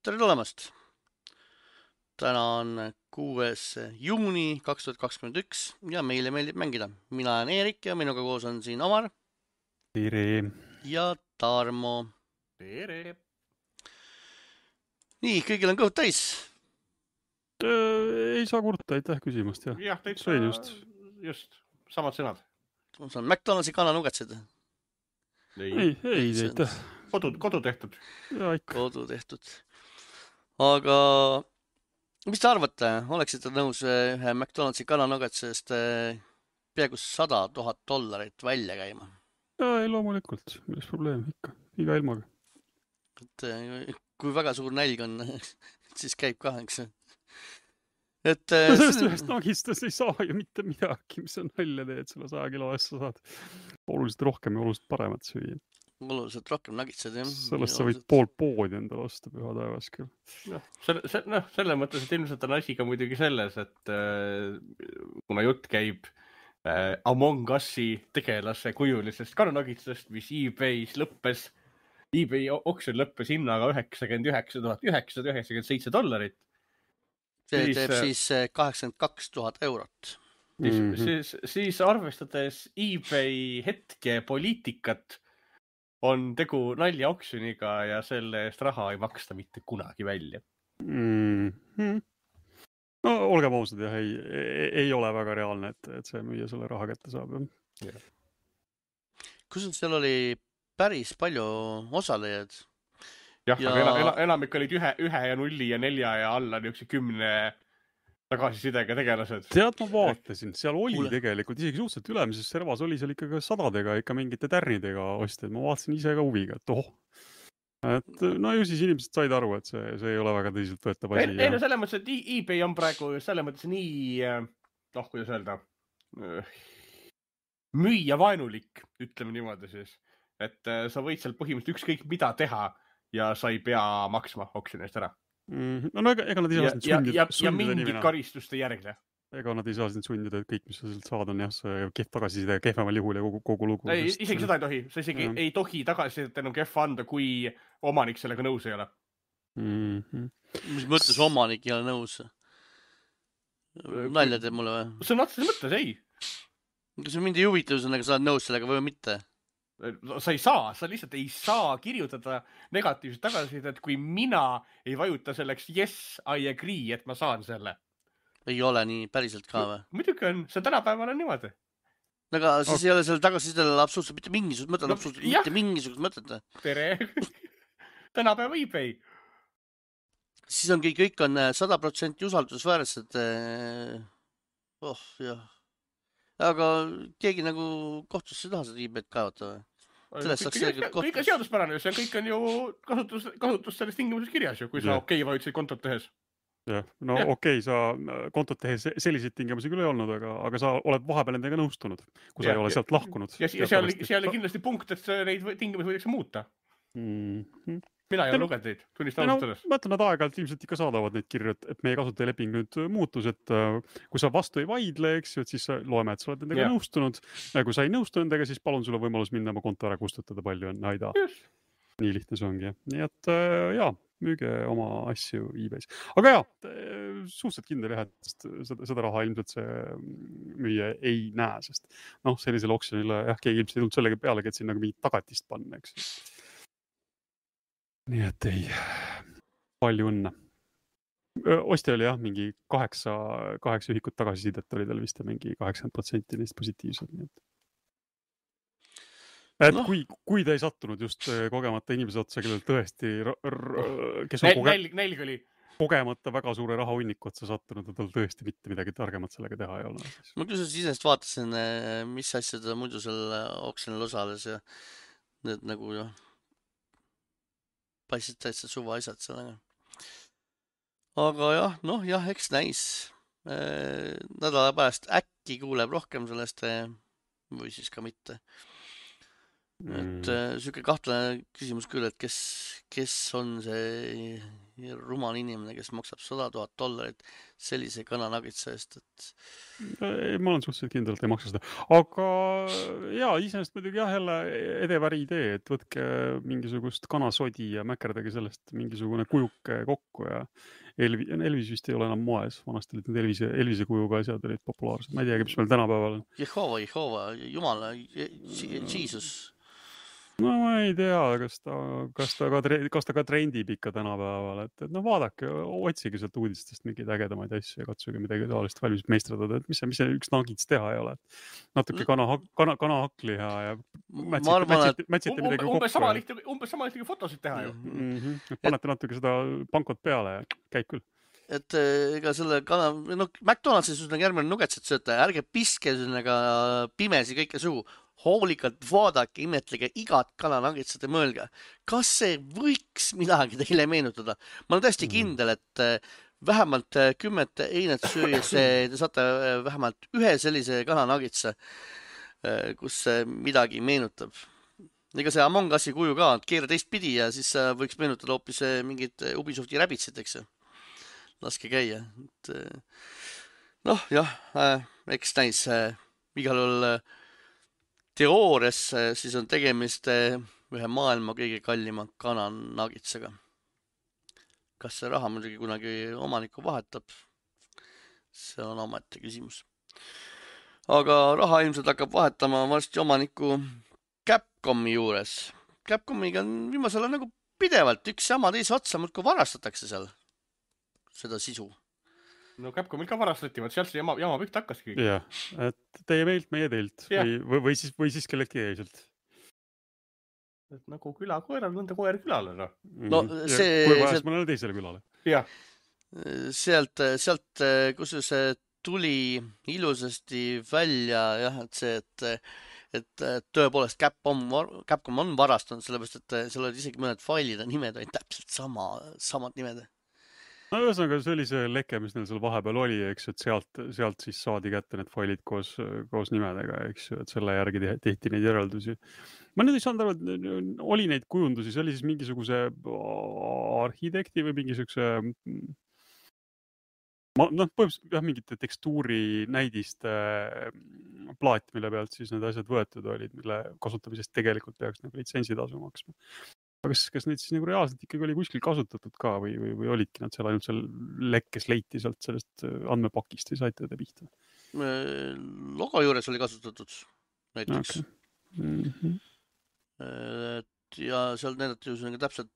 tere tulemast! Täna on 6. juuni 2021 ja meile meeldib mängida. Mina olen Eerik ja minuga koos on siin Omar Tere. ja Tarmo. Tere. Nii, kõigil on kõhud täis. Ei saa kurta, aitäh küsimast. Jah, täitsa Sõin just samad sõnad. See on McDonaldsi kananugatsed. Ei, aitäh. Kodu tehtud. Ja, ikka. Kodu tehtud. Aga mis te arvate? Oleksite nõus ühe McDonaldsi kananugatsest peaaegu $100,000 välja käima? Ja, ei, loomulikult. Milles probleem ikka. Iga ilmaga. Kui väga suur nälg on, siis käib ka, eks. Sellest ühest nagistast ei saa ju mitte midagi, mis on nalja teed, selle 100 kilo asja saad oluliselt rohkem ja oluliselt paremat süüa. Oluliselt rohkem nagitsed, jah. Sellest sa võid pool poodi endale osta püha taevas küll. Selle mõttes, et ilmselt on asi ka muidugi selles, et kuna jutt käib Among Us'i tegelase kujulisest kananagitsest, mis eBay's lõppes, eBay oksjon lõppes hinnaga $99,997. See teeb siis €82,000. Siis arvestades eBay hetke poliitikat, on tegu nalja oksjoniga ja selle eest raha ei maksta mitte kunagi välja. No, olgem ausad, jah, ei ole väga reaalne, et see müüa selle raha kätte saab. Kus seal oli päris palju osalejaid? Jah, aga enamik olid 1 ja 0 ja 4 ja alla 10 tagasisidega tegelased. Tead, ma vaatasin, seal oli tegelikult isegi suhteliselt ülemises servas oli seal ikka sadadega, ikka mingite tärnidega ostjaid. Ma vaatasin ise ka huviga, et no ju siis inimesed said aru, et see ei ole väga tõsiselt võetav asi. Ei, no selles mõttes, et eBay on praegu selles mõttes nii, kuidas öelda, müüja vaenulik, ütleme niimoodi siis. Et sa võid seal põhimõtteliselt ükskõik mida teha ja sa ei pea maksma oksjoni eest ära. No ega nad ei saa sundida. Ja mingit karistust ei järgne. Ega nad ei saa sundida, et kõik, mis sa sealt saad, on jah, see kehv tagasiside kehvemal juhul ja kogu lugu. Ei, isegi seda ei tohi. Sa isegi ei tohi tagasisidet enam kehva anda, kui omanik sellega nõus ei ole. Mis mõttes omanik ei ole nõus? Nalja teeb mulle või? See on otseses mõttes, ei. Kas see mind ei huvitav, sa oled nõus sellega või mitte? Sa ei saa, sa lihtsalt ei saa kirjutada negatiivset tagasisidet, kui mina ei vajuta selleks yes, I agree, et ma saan selle. Ei ole nii päriselt ka või? Muidugi on, see tänapäeval on niimoodi. Aga siis ei ole selle tagasisidele absoluutselt mitte mingisugust mõtet, absoluutselt mitte mingisugust mõtet. Tere! Tänapäeva eBay. Siis on kõik on 100% usaldusväärsed. Jah. Aga keegi nagu kohtusse ei taha seda eBay't kaevata või? Kõik on seaduspärane, see kõik on ju kasutus selles tingimuses kirjas ju, kui sa okei vajutasid kontot tehes. Jah, no okei, sa kontot tehes selliseid tingimusi küll ei olnud, aga sa oled vahepeal nendega nõustunud, kui sa ei ole sealt lahkunud. Ja seal oli kindlasti punkt, et neid tingimusi võidakse muuta. Mina ei ole lugenud neid, tunnistan ausalt selles. Ma ütlen, nad aeg-ajalt ilmselt ikka saadavad neid kirju, et meie kasutajaleping nüüd muutus, et kui sa vastu ei vaidle, eks ju, et siis loeme, et sa oled nendega nõustunud. Ja kui sa ei nõustu nendega, siis palun sulle võimalus minna oma konto ära kustutada, palju on aida. Nii lihtne see ongi. Nii et jaa, müüge oma asju eBay's. Aga jaa, suhteliselt kindel jah, et seda raha ilmselt see müüja ei näe, sest sellisele oksjonile keegi ilmselt ei tulnud sellega pealegi, et siin nagu mingit tagatist panna, eks. Nii et ei, palju õnne. Ostja oli jah, mingi 8 ühikut tagasisidet oli tal vist ja mingi 80% neist positiivsed. Et kui ta ei sattunud just kogemata inimese otsa, kellel tõesti, kes on nälg oli kogemata väga suure rahahunniku otsa sattunud, ja tal tõesti mitte midagi targemat sellega teha ei ole. Ma küll isest vaatasin, mis asjad muidu selle oksjonil osales ja need nagu paistsid täitsa suva asjad sellega. Aga jah, eks näis. Nädala pärast äkki kuuleb rohkem sellest või siis ka mitte. et siuke kahtlane küsimus küll, et kes on see rumal inimene, kes maksab $100,000 sellise kananagitsa eest, et Ma olen suhteliselt kindel, et ei maksa seda. Aga jaa, iseenesest muidugi jah, jälle edeväri idee, et võtke mingisugust kanasodi ja mäkerdage sellest mingisugune kujuke kokku ja Elvis vist ei ole enam moes. Vanasti olid need Elvise kujuga asjad olid populaarsed. Ma ei teagi, mis meil tänapäeval on. Jehova, Jumala, Jesus. No ma ei tea, kas ta ka trendib ikka tänapäeval, et no vaadake, otsige sealt uudistest mingeid ägedamaid asju ja katsuge midagi taolist valmis meistradada, et mis see üks nagits teha ei ole. Natuke kanahakliha ja mätsite midagi kokku. Umbes sama lihtne fotosid teha ju. Panete natuke seda pankot peale ja käib küll. Et ega selle McDonaldsis järgmine nugetset sööta, ärge piske pimesi kõike suhu. Hoolikalt vaadake, imetlege igat kananagitsat ja mõelge, kas see võiks midagi teile meenutada. Ma olen täiesti kindel, et vähemalt 10 einet süües te saate vähemalt ühe sellise kananagitsa, kus midagi meenutab. Ega see Among Usi kuju ka, keera teistpidi ja siis võiks meenutada hoopis mingid Ubisofti räbitsid, eks. Laske käia. Noh, jah, eks näis igal juhul teoorias siis on tegemist ühe maailma kõige kallima kananagitsaga. Kas see raha muidugi kunagi omanikku vahetab? See on omaette küsimus. Aga raha ilmselt hakkab vahetama varsti omanikku Capcomi juures. Capcomiga on viimasel nagu pidevalt üks sama teise otsa, muudkui varastatakse seal seda sisu. No Capcomil ka varastati, sealt see jama püht hakkaski. Jah, et teie meilt, meie teilt või siis kelleltki jäiselt. Et nagu küla koeral, nõnda koer külale. No see... Kui vajas mõnele teisele külale. Jah. Sealt kus see tuli ilusasti välja, jah, et tõepoolest Capcom on varastanud, sellepärast, et seal olid isegi mõned failide nimed olid täpselt samad nimed. No ühesõnaga, see oli see leke, mis neil seal vahepeal oli, eks, et sealt siis saadi kätte need failid koos nimedega, eks ju, et selle järgi tehti neid järeldusi. Ma nüüd ei saanud aru, et oli neid kujundusi, see oli siis mingisuguse arhitekti või mingisuguse põhimõtteliselt mingite tekstuuri näidiste plaat, mille pealt siis need asjad võetud olid, mille kasutamisest tegelikult peaks nagu litsentsi-tasu maksma. Aga kas neid siis nagu reaalselt ikkagi oli kuskil kasutatud ka või olidki nad seal ainult seal lekkes leiti sealt sellest andmepakist või saite te pihta? Logo juures oli kasutatud näiteks. Okay. Ja seal näidati ju täpselt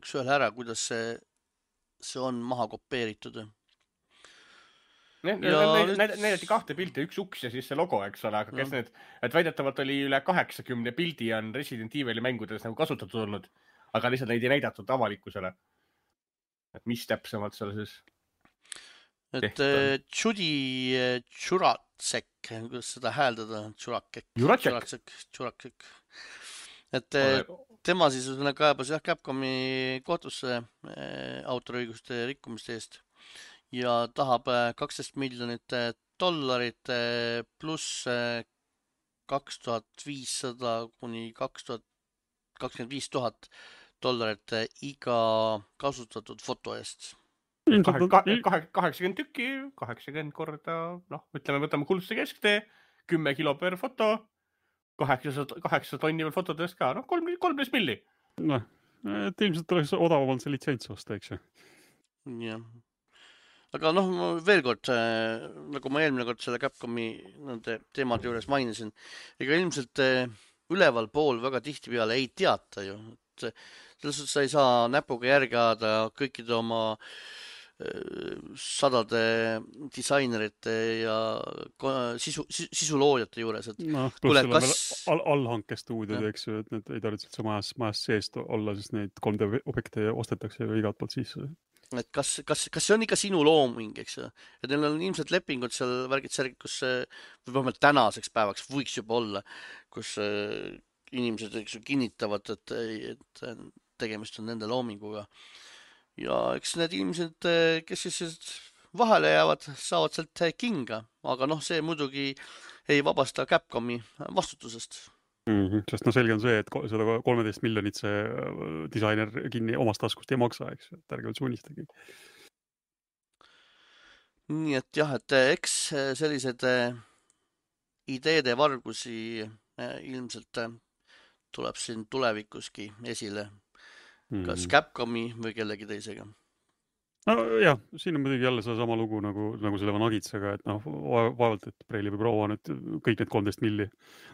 üks ühel ära, kuidas see on maha kopeeritud. Näidati 2 pilti, üks uks ja siis see logo, eks ole, aga kes need, et väidetavalt oli üle 80 pildi on Resident Evil'i mängudes nagu kasutatud olnud, aga lihtsalt neid ei näidatud avalikkusele. Et mis täpsemalt seal siis? Et Judy Juratsek, kuidas seda hääldada? Juratsek. Et tema siis kaebas Capcomi kohtusse autoriõiguste rikkumiste eest. Ja tahab $12 miljonit pluss $2,500 kuni $25,000 iga kasutatud foto eest. 80 tükki, 80 korda, ütleme, võtame kuldse kesktee, 10 kilo per foto, 800 tonni veel fotodest ka, 13 milli. Et ilmselt oleks odavamalt see litsents osta, eks ju? Jah. Aga veel kord, nagu ma eelmine kord selle Capcomi teemade juures mainisin, ega ilmselt üleval pool väga tihti peale ei teata ju. Selles suhtes sa ei saa näpuga järgi ajada kõikide oma sadade disainerite ja sisuloojate juures. Pluss seal on veel allhankestuudiod, eks ju, et need ei tarvitse üldse majas seest olla, sest neid 3D objekte ostetakse ju igat poolt sisse. Et kas see on ikka sinu looming, eks ju? Et neil on ilmselt lepingud seal värgid, kus vähemalt tänaseks päevaks võiks juba olla, kus inimesed kinnitavad, et tegemist on nende loominguga. Ja eks need inimesed, kes siis vahele jäävad, saavad sealt kinga, aga see muidugi ei vabasta Capcomi vastutusest. Sest selge on see, et seda 13 miljonit see disainer kinni omast taskust ei maksa, eks, et ärge üldse unistage. nii et jah, et eks sellised ideede vargusi ilmselt tuleb siin tulevikuski esile, kas Capcomi või kellegi teisega. No jah, siin on muidugi jälle sama lugu nagu selle Vanagitsega, et vaevalt, et Preili või proua nüüd kõik need 13 milli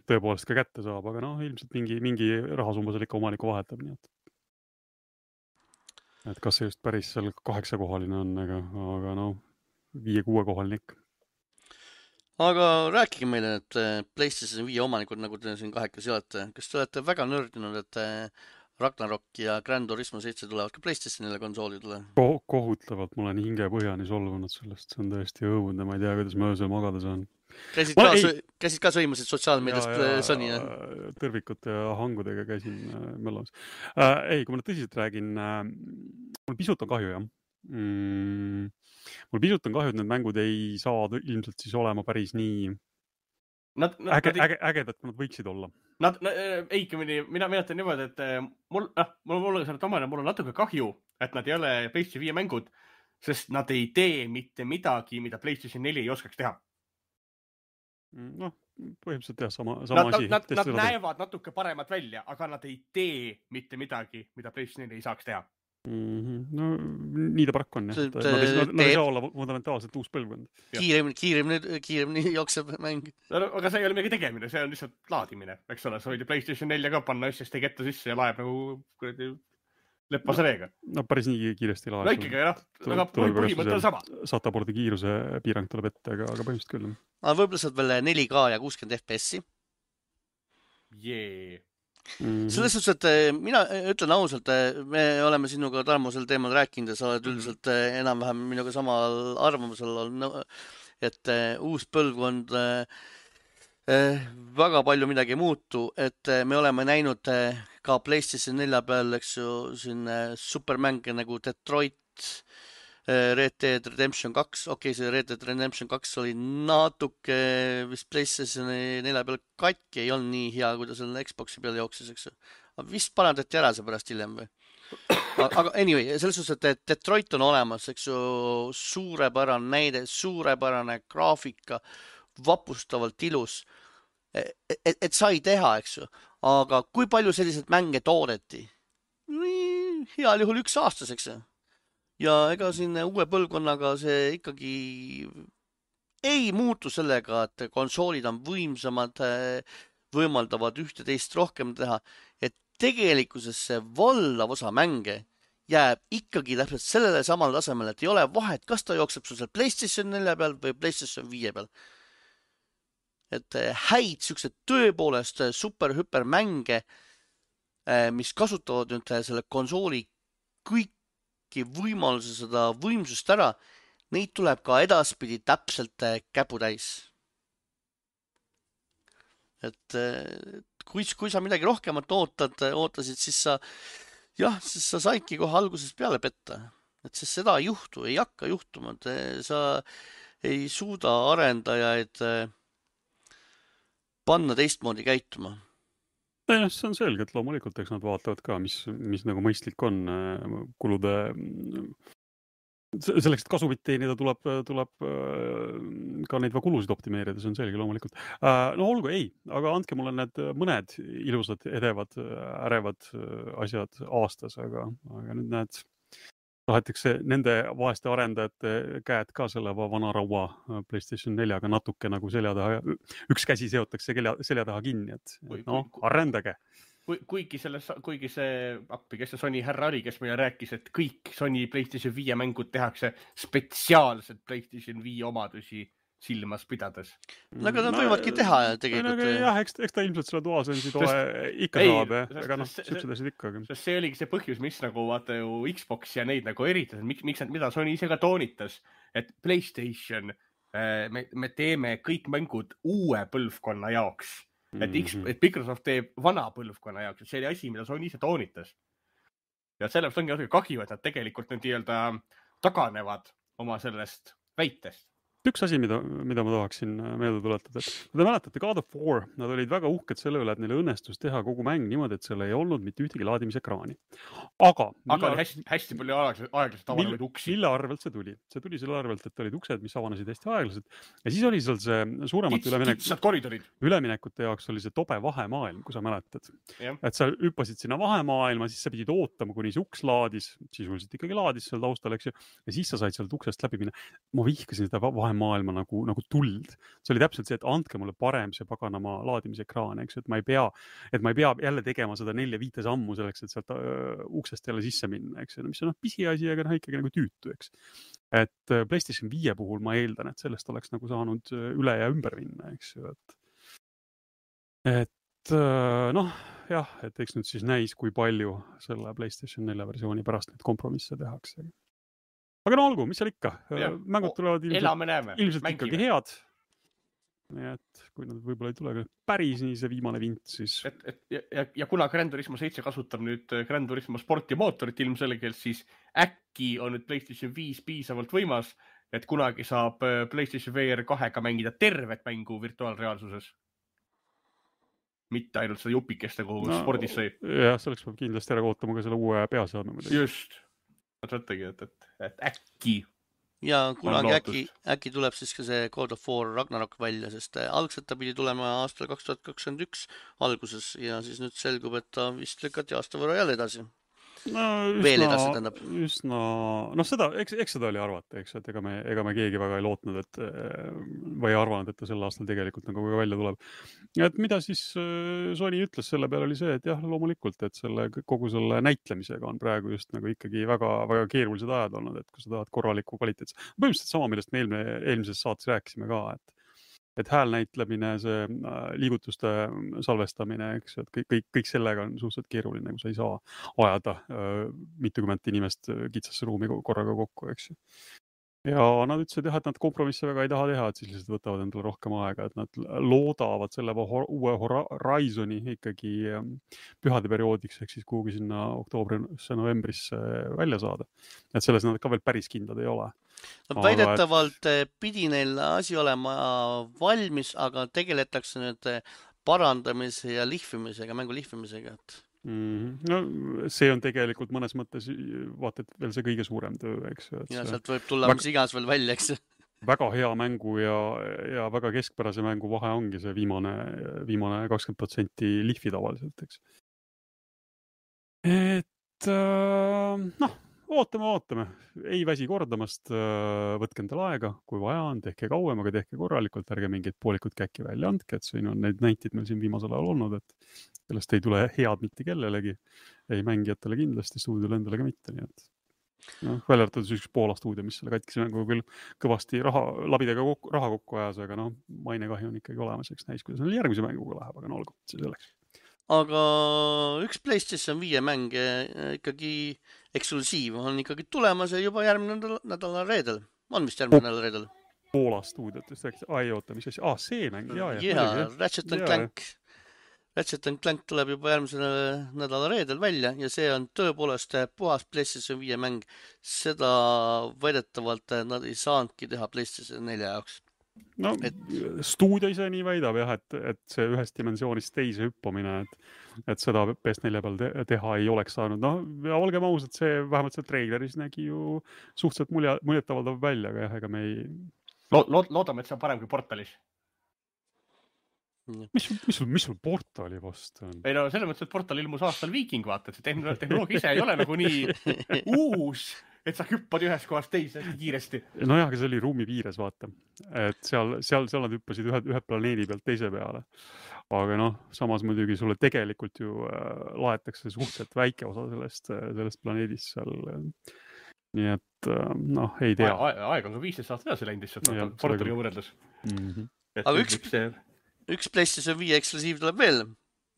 tõepoolest ka kätte saab, aga ilmselt mingi rahasumma seal ikka omaniku vahetab, nii et kas see just päris seal 8-kohaline on, aga 5-6 kohaline ikka. Aga rääkige meile, et PlayStation 5 omanikud, nagu te siin kahekesi olete, kas te olete väga nördinud, et Ragnarok ja Gran Turismo 7 tulevad ka PlayStationile konsoolidele? Kohutavalt, ma olen hinge põhjani solvunud sellest, see on tõesti õudne, ma ei tea, kuidas ma öösel magada saan. Käisid ka sõimasid sotsiaalmeediast Sony? Tõrvikute ja hangudega käisin möllamas. Ei, kui ma nüüd tõsiselt räägin, mul pisut on kahju, jah. Mul pisut on kahju, et need mängud ei saa ilmselt siis olema päris nii ägedad, kui nad võiksid olla. Mina ütlen niimoodi, et mul on natuke kahju, et nad ei ole PlayStation 5 mängud, sest nad ei tee mitte midagi, mida PlayStation 4 ei oskaks teha. Põhimõtteliselt jah, sama asi. Nad näevad natuke paremad välja, aga nad ei tee mitte midagi, mida PlayStation 4 ei saaks teha. No nii ta paraku on, jah. Nad ei saa olla fundamentaalselt uus põlvkond. Kiiremini jookseb mäng. Aga see ei ole midagi tegemine, see on lihtsalt laadimine, eks ole. Sa võid PlayStation 4 ka panna SSD ketta sisse ja laeb nagu leppase veega. No päris nii kiiresti laeb. No ikkagi, aga põhimõte on sama. Satabordi kiiruse piirang tuleb ette, aga põhimõtteliselt küll. Võib-olla saad veel 4K ja 60 FPS-i. Selles suhtes, et mina ütlen ausalt, me oleme sinuga Tarmo sel teemal rääkinud ja sa oled üldiselt enam-vähem minuga samal arvamusel, et uus põlvkond väga palju midagi ei muutu, et me oleme näinud ka PlayStation 4 peal, eks ju, siin supermänge nagu Detroit, Red Dead Redemption 2, see Red Dead Redemption 2 oli natuke vist PlayStation 4 peal katki, ei olnud nii hea, kui ta selle Xboxi peal jooksis, eks ju. Vist parandati ära see pärast hiljem või? Aga anyway, selles suhtes, et Detroit on olemas, eks ju, suurepärane näide, suurepärane graafika, vapustavalt ilus, et sai teha, eks ju. Aga kui palju selliseid mänge toodeti? Heal juhul 1 aastas, eks ju. Ja ega siin uue põlvkonnaga see ikkagi ei muutu sellega, et konsoolid on võimsamad, võimaldavad ühte-teist rohkem teha, et tegelikkuses see valdav osa mänge jääb ikkagi täpselt sellele samal tasemel, et ei ole vahet, kas ta jookseb sul seal PlayStation 4 peal või PlayStation 5 peal. Et häid siuksed tõepoolest super-hüper mänge, mis kasutavad nüüd selle konsooli kõik võimaluse seda võimsust ära, neid tuleb ka edaspidi täpselt käputäis. Et kui sa midagi rohkemat ootasid, siis sa saidki kohe algusest peale petta. Et sest seda ei juhtu, ei hakka juhtuma. Sa ei suuda arendajaid panna teistmoodi käituma. See on selge, et loomulikult, eks nad vaatavad ka, mis nagu mõistlik on kulude. Selleks, et kasumit teenida, tuleb ka neid kulusid optimeerida, see on selge loomulikult. No olgu, ei, aga andke mulle need mõned ilusad, edevad, ärevad asjad aastas, aga nüüd näed, tahetakse nende vaeste arendajate käed ka selle vana raua PlayStation 4-ga natuke nagu selja taha, üks käsi seotakse selja taha kinni, et arendage. Kuigi see appi, kes see Sony härra oli, kes meile rääkis, et kõik Sony PlayStation 5 mängud tehakse spetsiaalselt PlayStation 5 omadusi silmas pidades. Aga nad võivadki teha tegelikult. Jah, eks ta ilmselt selle toasensi toe ikka saab, aga siuksed asjad ikka. See oligi see põhjus, mis nagu vaata ju Xbox ja neid nagu eritas, mida Sony ise ka toonitas, et PlayStation, me teeme kõik mängud uue põlvkonna jaoks. Et Microsoft teeb vana põlvkonna jaoks, et see oli asi, mida Sony ise toonitas. Ja sellepärast ongi kahju, et nad tegelikult nüüd taganevad oma sellest väitest. üks asi, mida ma tahaksin meelde tuletada, et kui te mäletate God of War, nad olid väga uhked selle üle, et neile õnnestus teha kogu mäng niimoodi, et seal ei olnud mitte ühtegi laadimisekraani. Aga oli hästi palju aeglaselt avanevaid uksi. Mille arvelt see tuli? See tuli selle arvelt, et olid uksed, mis avanesid hästi aeglaselt. Ja siis oli seal see suuremat üleminekute jaoks oli see tobe vahemaailm, kui sa mäletad. Et sa hüppasid sinna vahemaailma, siis sa pidid ootama, kuni see uks laadis, sisuliselt ikkagi laadis seal taustal, eks ju. Ja siis sa said sealt uksest läbi minna. Ma vihkasin seda vahemaailma nagu tuld. See oli täpselt see, et andke mulle parem see paganama laadimisekraan, eks, et ma ei pea jälle tegema seda 4-5 sammu selleks, et sealt uksest jälle sisse minna, eks, mis on pisiasi, aga ikkagi nagu tüütu, eks. Et PlayStation 5 puhul ma eeldan, et sellest oleks nagu saanud üle ja ümber minna, eks ju, et jah, et eks nüüd siis näis, kui palju selle PlayStation 4 versiooni pärast neid kompromisse tehakse. Aga no olgu, mis seal ikka? Mängud tulevad ilmselt ikkagi head. Nii et kui nad võib-olla ei tule päris nii see viimane vint, siis... Ja kuna Gran Turismo 7 kasutab nüüd Gran Turismo sporti mootorit ilmselgelt, siis äkki on nüüd PlayStation 5 piisavalt võimas, et kunagi saab PlayStation VR 2-ga mängida tervet mängu virtuaalreaalsuses. Mitte ainult seda jupikest, nagu spordis sai. Jah, selleks peab kindlasti ära kootama ka selle uue peaseadme. Just. Mõtletagi, et äkki... Ja kunagi äkki tuleb siis ka see God of War Ragnarok välja, sest algselt ta pidi tulema aastal 2021 alguses ja siis nüüd selgub, et ta vist lükati aasta võrra jälle edasi. Veel edasi tähendab. Seda, eks seda oli arvata, eks, et ega me keegi väga ei lootnud, et või arvanud, et ta sel aastal tegelikult nagu välja tuleb. Et mida siis Sony ütles selle peale oli see, et jah, loomulikult, et kogu selle näitlemisega on praegu just nagu ikkagi väga, väga keerulised ajad olnud, et kui sa tahad korralikku kvaliteet. Põhimõtteliselt sama, millest me eelmises saates rääkisime ka, et häälnäitlemine, see liigutuste salvestamine, eks, et kõik sellega on suhteliselt keeruline, kui sa ei saa ajada mitukümmend inimest kitsasse ruumi korraga kokku, eks. Ja nad ütlesid, et nad kompromisse väga ei taha teha, et siis lihtsalt võtavad endale rohkem aega, et nad loodavad selle uue Horizoni ikkagi pühade perioodiks, ehk siis kuhugi sinna oktoobrisse, novembrisse välja saada. Et selles nad ka veel päris kindlad ei ole. No, väidetavalt pidi neil asi olema valmis, aga tegeletakse nüüd parandamise ja lihvimisega, mängu lihvimisega. No see on tegelikult mõnes mõttes vaata, et veel see kõige suurem töö, eks. Ja sealt võib tulla mis igas veel välja, eks. Väga hea mängu ja väga keskpärase mängu vahe ongi see viimane 20% lihvi tavaliselt, eks. Et ootame. Ei väsi kordamast, võtke endale aega, kui vaja on, tehke kauem, aga tehke korralikult, ärge mingid poolikud käkki välja andke, et siin on neid näitid meil siin viimasel ajal olnud, et sellest ei tule head mitte kellelegi, ei mängijatele kindlasti, stuudiole endale ka mitte, nii et välja arvatud üks Poola stuudio, mis selle katkise mängu küll kõvasti labidega raha kokku ajas, aga mainekahju on ikkagi olemas, eks näis, kuidas neil järgmise mänguga läheb, aga olgu, see selleks. Aga üks PlayStation 5 mäng ikkagi eksklusiiv on ikkagi tulemas ja juba järgmine nädala reedel. On vist järgmine nädala reedel? Poola stuudiotest rääkis. Ai, oota, mis asi? See mäng, jaa. Ratchet & Clank. Ratchet & Clank tuleb juba järgmise nädala reedel välja ja see on tõepoolest puhas PlayStation 5 mäng. Seda väidetavalt nad ei saanudki teha PlayStation 4 jaoks. No, stuudio ise nii väidab jah, et see ühest dimensioonist teise hüppamine, et seda PS4 peal teha ei oleks saanud. Ja olgem aus, et see vähemalt see treileris nägi ju suhteliselt muljetavaldav välja, aga jah, ega me ei... Loodame, et see on parem kui Portalis. Mis sul Portali vastu on? Ei no, selles mõttes, et Portal ilmus aastal Viiking, vaata, et see tehnoloogia ise ei ole nagu nii uus, et sa hüppad ühest kohast teise kiiresti. Nojah, aga see oli ruumi piires, vaata. Et seal nad hüppasid ühe planeedi pealt teise peale. Aga samas muidugi sulle tegelikult ju laetakse suhteliselt väike osa sellest planeedist seal. Nii et, ei tea. Aeg on ka 15 aastat edasi läinud lihtsalt, Portaliga võrreldes. Aga üks PlayStation 5 eksklusiiv tuleb veel.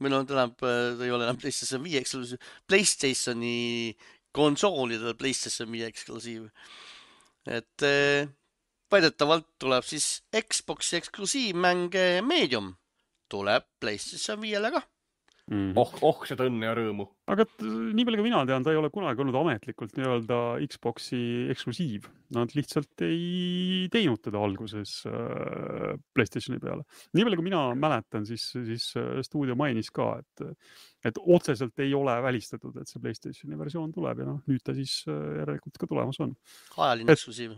Meil ei ole enam PlayStation 5 eksklusiiv. PlayStationi konsoolidel PlayStation 5 eksklusiiv. Et väidetavalt tuleb siis Xboxi eksklusiivmäng Medium. Tuleb PlayStation 5-le ka. seda õnne ja rõõmu. Aga nii palju kui mina tean, ta ei ole kunagi olnud ametlikult nii-öelda Xboxi eksklusiiv. Nad lihtsalt ei teinud teda alguses PlayStationi peale. Nii palju kui mina mäletan, siis stuudio mainis ka, et otseselt ei ole välistatud, et see PlayStationi versioon tuleb ja nüüd ta siis järelikult ka tulemas on. Ajaline eksklusiiv.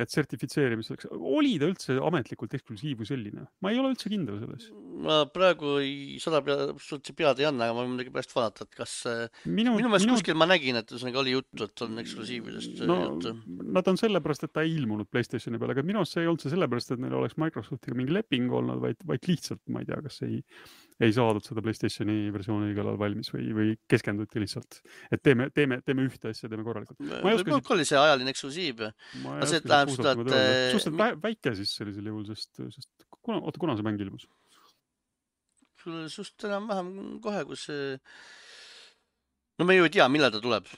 Et sertifitseerimiseks. Oli ta üldse ametlikult eksklusiiv või selline? Ma ei ole üldse kindel selles. Ma praegu suhteliselt pead ei anna, aga ma muidugi pärast vaadata, et kas minu meelest kuskil ma nägin, et oli juttu, et on eksklusiividest juttu. Nad on sellepärast, et ta ei ilmunud PlayStationi peale, aga minu arust see ei olnud see sellepärast, et neil oleks Microsoftiga mingi leping olnud, vaid lihtsalt, ma ei tea, kas ei saadud seda PlayStationi versiooni õigel ajal valmis või keskenduti lihtsalt, et teeme ühte asja, teeme korralikult. Võib-olla oli see ajaline eksklusiiv. See tähendab seda, et... Suhteliselt väike siis sellisel juhul, sest kuna see mäng ilmus? Suht enam-vähem kohe, kus see... No me ju ei tea, millal ta tuleb.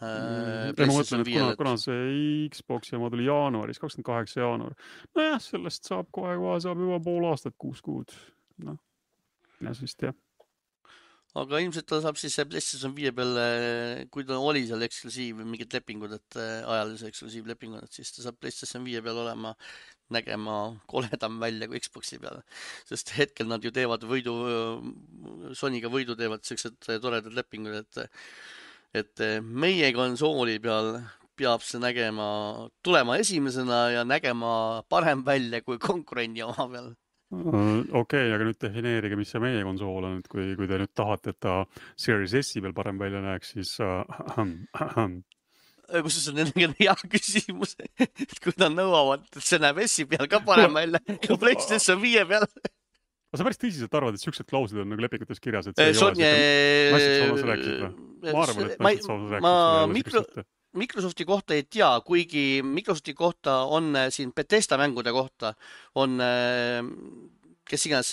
Ma mõtlen, et kuna see Xbox ja tuli jaanuaris, 28 jaanuar. Nojah, sellest saab juba pool aastat, 6 kuud. Ja siis tea. Aga ilmselt ta saab siis PlayStation 5 peale, kui ta oli seal eksklusiiv või mingid lepingud, et ajalise eksklusiivlepingud, siis ta saab PlayStation 5 peale nägema koledam välja kui Xboxi peale. Sest hetkel nad ju teevad Sonyga võidu teevad sellised toredad lepingud, et meie konsooli peal peab see tulema esimesena ja nägema parem välja kui konkurendi oma peal. Okei, aga nüüd defineerige, mis see meie konsool on, et kui te nüüd tahate, et ta Series S-i peal parem välja näeks, siis kus see on hea küsimus, et kui nad nõuavad, et see näeb S-i peal ka parem välja kui PlayStation 5 peal. Sa päris tõsiselt arvad, et siuksed klauslid on nagu lepingutes kirjas, et see ei ole naised rääkisid või? Ma arvan, et naised rääkisid. Microsofti kohta ei tea, kuigi Microsofti kohta on siin Bethesda mängude kohta on, kes iganes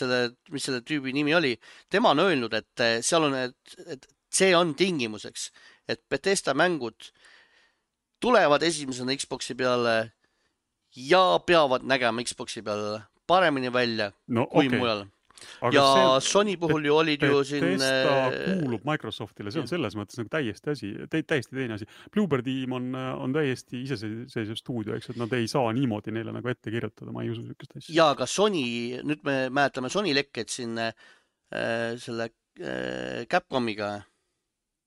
mis selle tüübi nimi oli, tema on öelnud, et seal on, et see on tingimuseks, et Bethesda mängud tulevad esimesena Xboxi peale ja peavad nägema Xboxi peale paremini välja kui mujal. Aga Sony puhul ju olid ju siin... Bethesda kuulub Microsoftile, see on selles mõttes nagu täiesti teine asi. Bluebird Team on täiesti iseseisev stuudio, eks, et nad ei saa niimoodi neile nagu ette kirjutada, ma ei usu sükest asja. Ja aga Sony, nüüd me mäletame Sony lekket siin selle Capcomiga,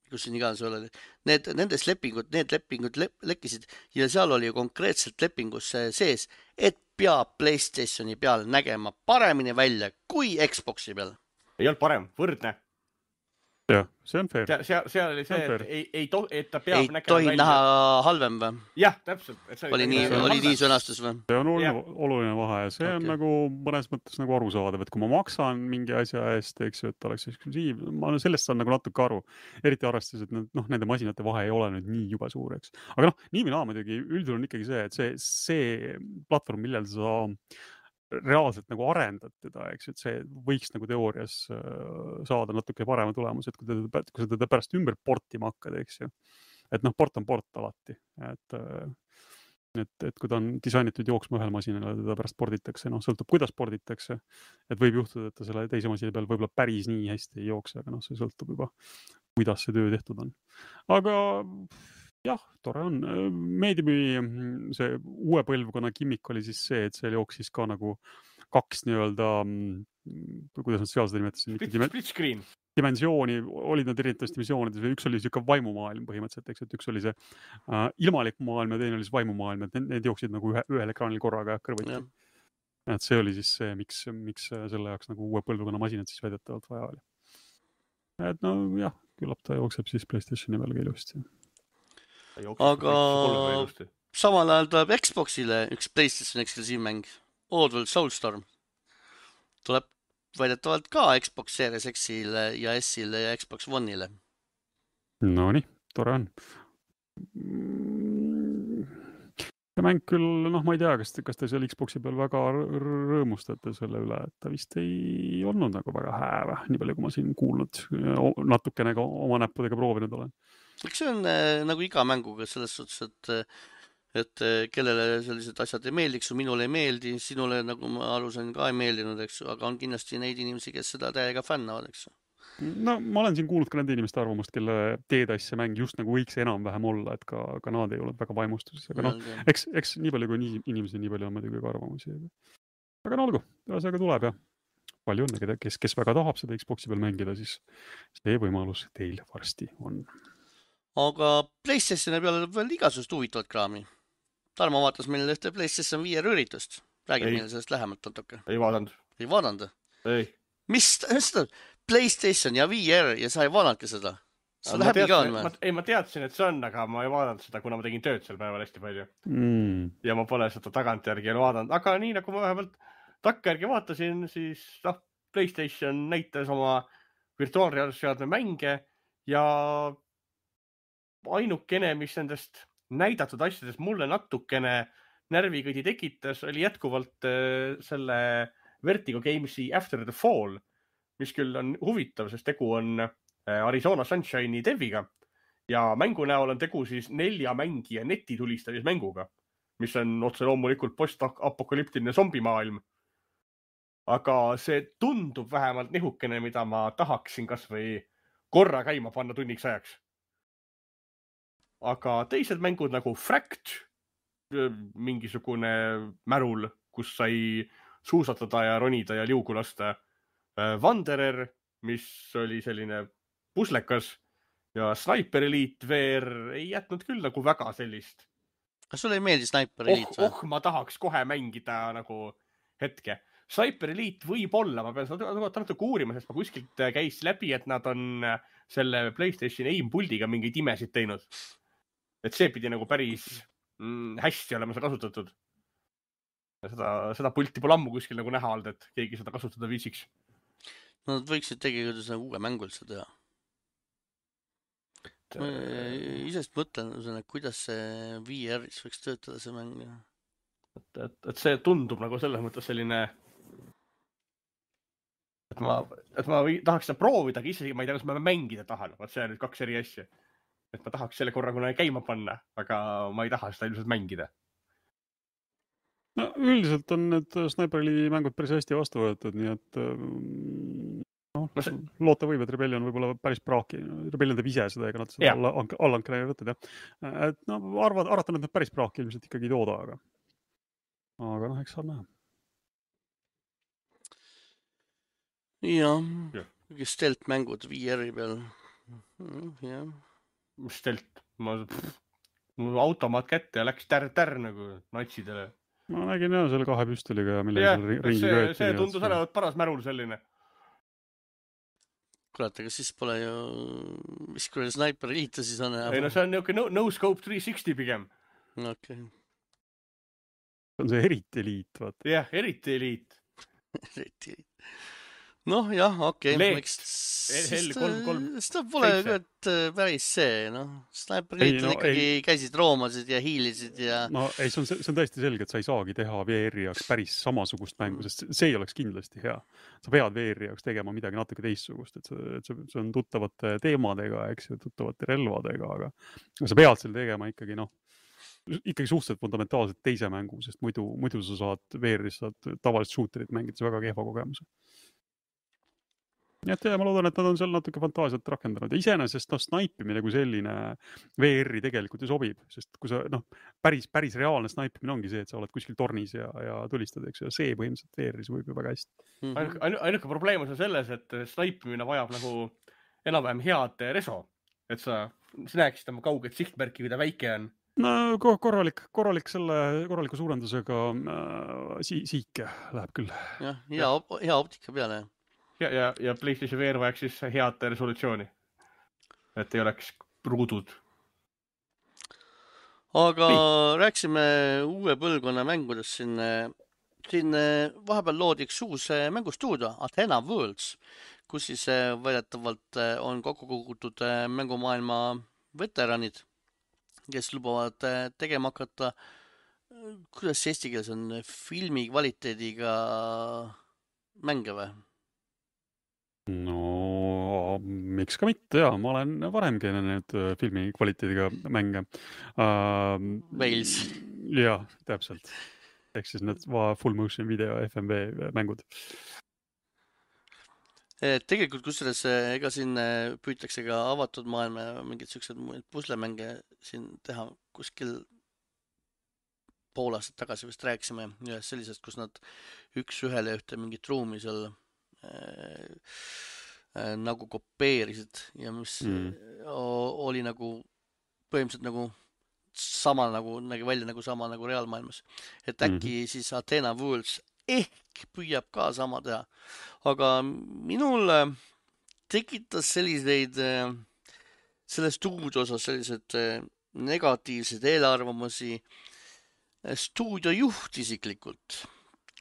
kus siin iganes oli. Need lepingud lekkisid ja seal oli ju konkreetselt lepingus sees, et peab PlayStationi peal nägema paremini välja kui Xboxi peal. Ei olnud parem, võrdne. Jah, see on fair. Seal oli see, et ta peab nägema välja. Ei tohi näha halvem või? Jah, täpselt. Oli nii sõnastus või? See on oluline vahe ja see on nagu mõnes mõttes nagu arusaadav, et kui ma maksan mingi asja eest, eks ju, et oleks eksklusiiv, ma sellest saan nagu natuke aru. Eriti arvestades, et nende masinate vahe ei ole nüüd nii juba suur, eks. Aga nii või naa muidugi üldjuhul on ikkagi see, et see platvorm, millel sa reaalselt nagu arendad teda, eks, et see võiks nagu teoorias saada natuke parema tulemus, et kui sa teda pärast ümber portima hakkad, eks ju. Et port on port alati. Et kui ta on disainitud jooksma ühel masinale, teda pärast porditakse, sõltub kuidas porditakse. Et võib juhtuda, et ta selle teise masina peal võib-olla päris nii hästi ei jookse, aga see sõltub juba, kuidas see töö tehtud on. Aga... Jah, tore on. Meediumi see uue põlvkonna kimmik oli siis see, et seal jooksis ka nagu 2 nii-öelda, kuidas nad seal seda nimetasid? Split screen. Dimensiooni, olid nad erinevates dimensioonides või üks oli siuke vaimumaailm põhimõtteliselt, eks, et üks oli see ilmalik maailm ja teine oli see vaimumaailm, et need jooksid nagu ühel ekraanil korraga kõrvuti. Et see oli siis see, miks selle jaoks nagu uue põlvkonna masinad siis väidetavalt vaja oli. Et jah, küllap ta jookseb siis PlayStationi peal ilusti. Aga samal ajal tuleb Xboxile üks PlayStation eksklusiivmäng, Oddworld Soulstorm. Tuleb väidetavalt ka Xbox Series X-ile ja S-ile ja Xbox One'ile. No nii, tore on. See mäng küll, ma ei tea, kas te seal Xboxi peal väga rõõmustate selle üle, et ta vist ei olnud nagu väga hääve, nii palju kui ma siin kuulnud, natukene ka oma näppudega proovinud olen. Eks see on nagu iga mänguga selles suhtes, et kellele sellised asjad ei meeldiks, minule ei meeldi, sinule, nagu ma aru sain, ka ei meeldinud, eks, aga on kindlasti neid inimesi, kes seda täiega fännavad, eks. No ma olen siin kuulnud ka nende inimeste arvamust, kelle teetassi mäng just nagu võiks enam-vähem olla, et ka nad ei olnud väga vaimustuses, aga noh, eks nii palju kui inimesi, nii palju on muidugi ka arvamusi. Aga no olgu, ühesõnaga tuleb ja palju õnne, kes väga tahab seda Xboxi peal mängida, siis see võimalus teil varsti on. Aga PlayStationi peale veel igasugust huvitavat kraami. Tarmo vaatas meil ühte PlayStation 5 üritust. Räägib meile sellest lähemalt natuke. Ei vaadanud. Ei vaadanud? Ei. Mis seda? PlayStation ja VR ja sa ei vaadanudki seda? Sa läbi ka on või? Ei, ma teadsin, et see on, aga ma ei vaadanud seda, kuna ma tegin tööd sel päeval hästi palju. Ja ma pole seda tagantjärgi vaadanud. Aga nii nagu ma vähemalt takkajärgi vaatasin, siis PlayStation näitas oma virtuaalreaalsusseadme mänge ja ainukene, mis nendest näidatud asjadest mulle natukene närvikõdi tekitas, oli jätkuvalt selle Vertigo Gamesi After the Fall, mis küll on huvitav, sest tegu on Arizona Sunshine'i deviga ja mängu näol on tegu siis 4 mängija netitulistamismänguga, mis on otse loomulikult post-apokalüptiline zombimaailm. Aga see tundub vähemalt nihukene, mida ma tahaksin kas või korra käima panna tunniks ajaks. Aga teised mängud nagu Fract, mingisugune märul, kus sai suusatada ja ronida ja liugu lasta. Wanderer, mis oli selline puslekas ja Sniper Elite VR ei jätnud küll nagu väga sellist. Kas sulle ei meeldi Sniper Elite? Ma tahaks kohe mängida nagu hetke. Sniper Elite võib olla, ma pean seda natuke uurima, sest ma kuskilt käis läbi, et nad on selle PlayStation aim-puldiga mingeid imesid teinud. Et see pidi nagu päris hästi olema seda kasutatud. Seda pulti pole ammu kuskil nagu näha olnud, et keegi seda kasutada viisiks. No nad võiksid tegelikult uue mängu üldse teha. Ma isest mõtlen, kuidas see VR-is võiks töötada see mäng. Et see tundub nagu selles mõttes selline, et ma tahaks seda proovida, aga isegi ma ei tea, kas ma mängida tahan. See on nüüd 2 eri asja. Et ma tahaks selle korra kuna käima panna, aga ma ei taha seda ilmselt mängida. No üldiselt on need Sniperi mängud päris hästi vastu võetud, nii et loota võib, et Rebellion võib-olla päris praaki. Rebellion teeb ise seda, ega nad seda allankele ei võtnud. Et arvatan, et nad päris praaki ilmselt ikkagi ei tooda, aga eks saab näha. Jah, stealth mängud VR-i peal. Jah. Stealth? Mul automaat kätte ja läks tärr nagu natsidele. Ma nägin jah selle 2 püstoliga, mille ringi kööti. See tundus olevat paras märul selline. Kurat, aga siis pole ju, mis kui Sniper Elite siis on? Ei no see on niuke no scope 360 pigem. Okay. See on see eriti eliit, vaata. Jah, eriti eliit. Eriti eliit. Noh, jah, okei. Seda pole päris see, noh. Sniper Elite ikkagi käisid roomasid ja hiilisid ja... No ei, see on tõesti selge, et sa ei saagi teha VR-i jaoks päris samasugust mängu, sest see ei oleks kindlasti hea. Sa pead VR-i jaoks tegema midagi natuke teistsugust, et see on tuttavate teemadega, eks ju, tuttavate relvadega, aga sa pead selle tegema ikkagi, ikkagi suhteliselt fundamentaalselt teise mängu, sest muidu sa saad VR-is tavalist shooterit mängides väga kehva kogemuse. Nii et ma loodan, et nad on seal natuke fantaasiat rakendanud ja iseenesest snaipimine kui selline VR-i tegelikult ju sobib, sest kui sa päris reaalne snaipimine ongi see, et sa oled kuskil tornis ja tulistad, eks ju, ja see põhimõtteliselt VR-is võib ju väga hästi. Ainuke probleem on selles, et snaipimine vajab nagu enam-vähem head reso, et sa näeksid oma kauget sihtmärki, kui ta väike on. No korraliku suurendusega siike läheb küll. Jah, hea optika peale. Ja PlayStation VR vajaks siis head resolutsiooni, et ei oleks ruudud. Aga rääksime uue põlvkonna mängudest siin vahepeal loodi üks uus mängustuudio, Athena Worlds, kus siis väidetavalt on kokku kogutud mängumaailma veteranid, kes lubavad tegema hakata, kuidas eesti keeles on, filmi kvaliteediga mänge või? No, miks ka mitte, jaa. Ma olen varemgi need filmi kvaliteediga mänge. Wales. Jah, täpselt. Ehk siis need full motion video FMV mängud. Tegelikult kusjuures ega siin püütakse ka avatud maailma ja mingid siuksed puslemänge siin teha kuskil pool aastat tagasi vist rääkisime ühest sellisest, kus nad üks ühele ühte mingit ruumi seal nagu kopeerisid ja mis oli nagu põhimõtteliselt nagu sama nagu nägi välja nagu sama nagu reaalmaailmas. Et äkki siis Athena Worlds ehk püüab ka sama teha. Aga minul tekitas selliseid selle stuudio osas sellised negatiivsed eelarvamusi stuudio juht isiklikult,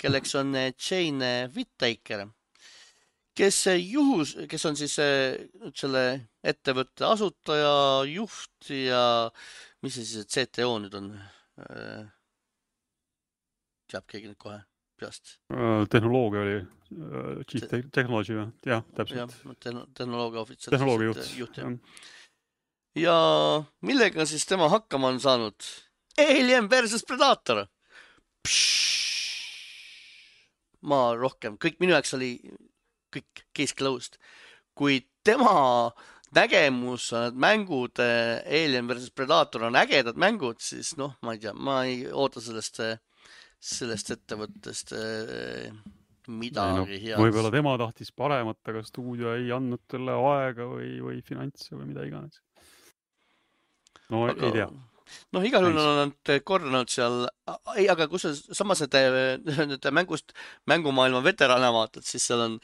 kelleks on Jane Whittaker, kes on siis selle ettevõtte asutaja, juht ja mis see siis CTO nüüd on? Teab keegi nüüd kohe peast? Tehnoloogia oli Chief Technology või? Jah, täpselt. Tehnoloogia ohvitser. Tehnoloogia juht. Ja millega siis tema hakkama on saanud? Alien versus Predator. Ma rohkem, kõik minu jaoks oli kõik case closed. Kui tema nägemus, mängud Alien versus Predator on ägedad mängud, siis noh, ma ei tea, ma ei oota sellest ettevõttest midagi head. Võib-olla tema tahtis paremat, aga stuudio ei andnud talle aega või finantse või mida iganes. No ei tea. Noh, igal juhul on nad korranud seal, ei, aga kus samas need mängumaailma veterane vaatad, siis seal on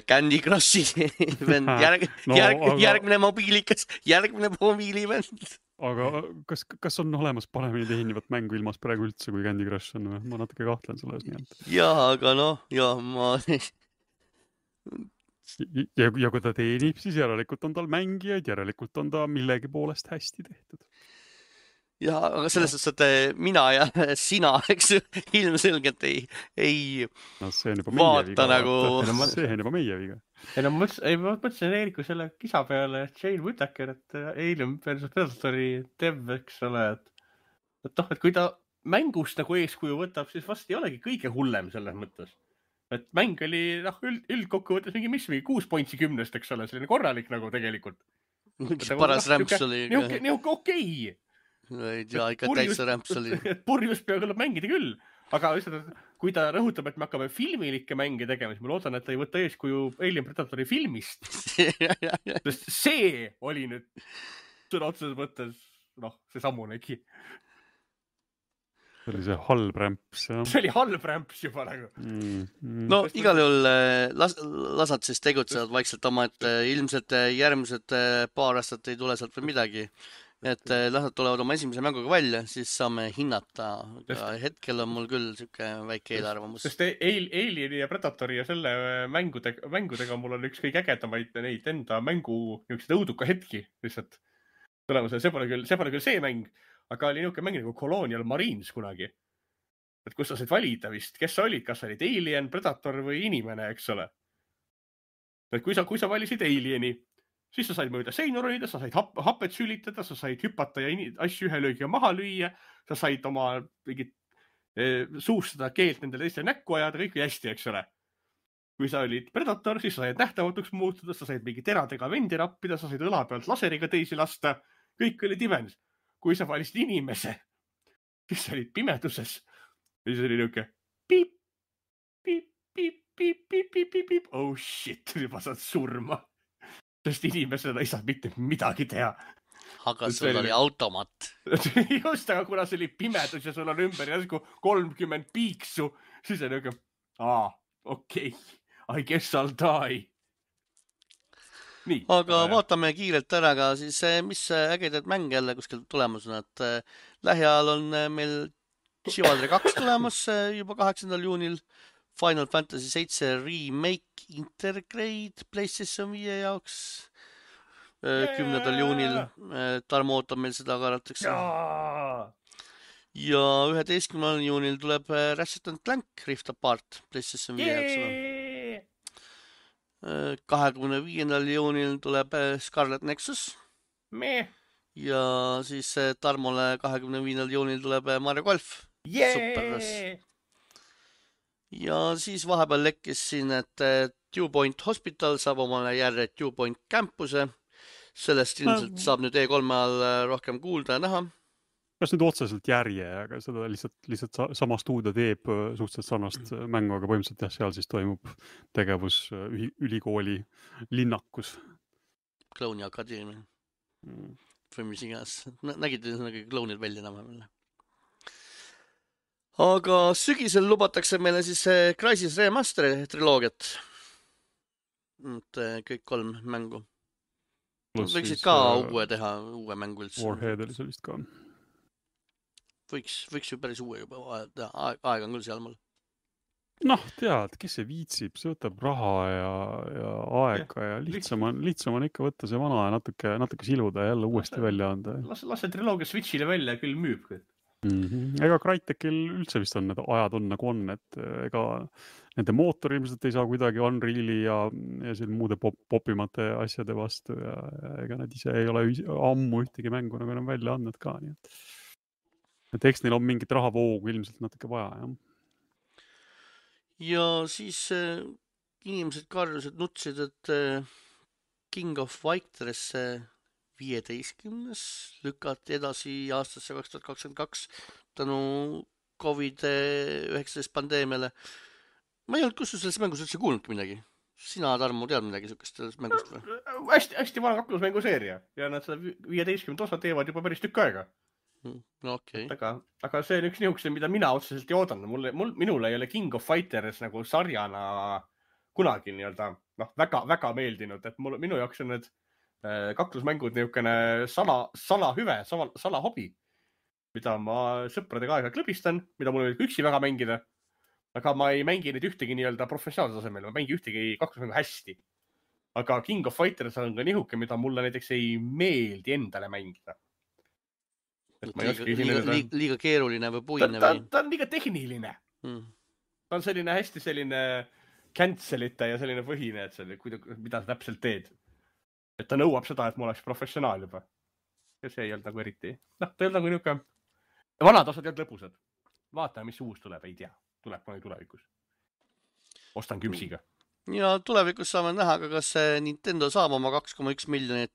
Candy Crushi vend, järgmine mobiilikas, järgmine mobiilivend. Aga kas on olemas paremini tehnivat mängu ilmas praegu üldse kui Candy Crush on või? Ma natuke kahtlen selles nii. Jaa, aga noh, ma... Ja kui ta teenib, siis järelikult on tal mängijaid, järelikult on ta millegi poolest hästi tehtud. Ja, aga selles suhtes, et mina ja sina, eks ilmselgelt ei no, see on juba vaata nagu... See on juba meie viga. Ei, no ma mõtlesin Eeriku selle kisa peale Jane Whittaker, et Alien versus Predatori dev, eks ole, et kui ta mängust nagu eeskuju võtab, siis vast ei olegi kõige hullem selles mõttes. Et mäng oli üldkokkuvõttes mingi 6 pointsi 10, eks ole, selline korralik nagu tegelikult. Paras rämps oli. Nii okei. Ei tea, ikka täitsa rämps oli. Purjus peab küll mängida küll, aga kui ta rõhutab, et me hakkame filmilikke mänge tegema, siis ma loodan, et ta ei võta eeskuju Alien Predatori filmist. Sest see oli nüüd sõna otseses mõttes, see sammunegi. See oli see halb rämps. See oli halb rämps juba nagu. No igal juhul lasad siis tegutsevad vaikselt oma, et ilmselt järgmised paar aastat ei tule sealt või midagi. Et lasad tulevad oma esimese mänguga välja, siis saame hinnata. Hetkel on mul küll siuke väike eelarvamus. Sest Alieni ja Predatori ja selle mängudega mul on üks kõige ägedamaid neid enda mängu õuduka hetki lihtsalt. See pole küll see mäng, aga oli niuke mäng nagu Colonial Marines kunagi. Et kus sa said valida vist, kes sa olid, kas sa olid Alien, Predator või inimene, eks ole. Et kui sa valisid Alieni, siis sa said mööda seinu röida, sa said hapet sülitada, sa said hüpata ja asju ühe löögiga maha lüüa, sa said oma suust seda keelt nendele teistele näkku ajada, kõik oli hästi, eks ole. Kui sa olid Predator, siis sa said nähtavatuks muutuda, sa said mingi teradega vendi rappida, sa said õla pealt laseriga teisi lasta, kõik oli dimens. Kui sa valisid inimese, siis sa olid pimeduses, siis oli niuke piip, piip, piip, piip, piip, piip, piip, piip, oh shit, juba saad surma. Sest inimesena ei saa mitte midagi teha. Aga sul oli automat. Just, aga kuna see oli pimedus ja sul on ümber järsku 30 piiksu, siis on niuke, okei, I guess I'll die. Nii, aga vaatame kiirelt ära ka siis, mis ägedad mäng jälle kuskil tulemus on, et lähiajal on meil Chivalry 2 tulemas juba 8. juunil, Final Fantasy 7 Remake Intergrade PlayStation 5 jaoks 10. juunil. Tarmo ootab meil seda karatakse. Ja 11. juunil tuleb Ratchet & Clank Rift Apart PlayStation 5 jaoks. 25. juunil tuleb Scarlet Nexus. Ja siis Tarmole 25. juunil tuleb Mario Golf. Superras. Ja siis vahepeal lekkis siin, et Dew Point Hospital saab omale järje Dew Point campuse. Sellest ilmselt saab nüüd E3 all rohkem kuulda ja näha. Kas nüüd otseselt järje, aga seda lihtsalt sama stuudio teeb suhteliselt sarnast mängu, aga põhimõtteliselt jah, seal siis toimub tegevus ülikooli linnakus. Klouni akadeemia. Või mis iganes. Nägid klounid välja enam-vähem. Aga sügisel lubatakse meile siis Crysis Remaster triloogiat. Kõik 3 mängu. Võiksid ka uue teha, uue mängu üldse. Warhead oli sellist ka. Võiks ju päris uue juba aeg on küll seal mul. Noh, tead, kes see viitsib, see võtab raha ja aega ja lihtsam on ikka võtta see vana ja natuke siluda ja jälle uuesti välja anda. Las see triloogia Switchile välja küll müüb. Ega Crytekil üldse vist on need ajad on nagu on, et ega nende mootor ilmselt ei saa kuidagi Unreali ja muude popimate asjade vastu ja ega nad ise ei ole ammu ühtegi mängu nagu enam välja andnud ka. Nii et eks neil on mingit rahavoogu ilmselt natuke vaja, jah. Ja siis inimesed karjusid, nutsid, et King of Fighters 15. lükati edasi aastasse 2022 tänu COVID-19 pandeemiale. Ma ei olnud kus selles mängus üldse kuulnudki midagi. Sina, Tarmo, tead midagi sükest sellest mängust või? Hästi vana kaklusmänguseeria ja nad seda 15 osa teevad juba päris tükk aega. No okei. Aga see on üks niisugune, mida mina otseselt ei oodanud. Minule ei ole King of Fighters nagu sarjana kunagi väga meeldinud, et minu jaoks on need kaklusmängud niisugune salahüve, salahobi, mida ma sõpradega aega klõbistan, mida mul oli üksi väga mängida, aga ma ei mängi neid ühtegi professionaalse tasemel, ma mängi ühtegi kaklusmängu hästi. Aga King of Fighters on ka nihuke, mida mulle näiteks ei meeldi endale mängida. Liiga keeruline või puine või? Ta on liiga tehniline. Ta on hästi selline cancelite ja selline põhine, et mida sa täpselt teed. Et ta nõuab seda, et ma oleks professionaal juba. Ja see ei olnud nagu eriti. Ta ei olnud nagu niisugune. Vanad osad ei olnud lõbusad. Vaatame, mis uus tuleb, ei tea. Tuleb mõni tulevikus. Ostan küpsiga. Ja tulevikus saame näha, kas Nintendo saab oma $2.1 miljonit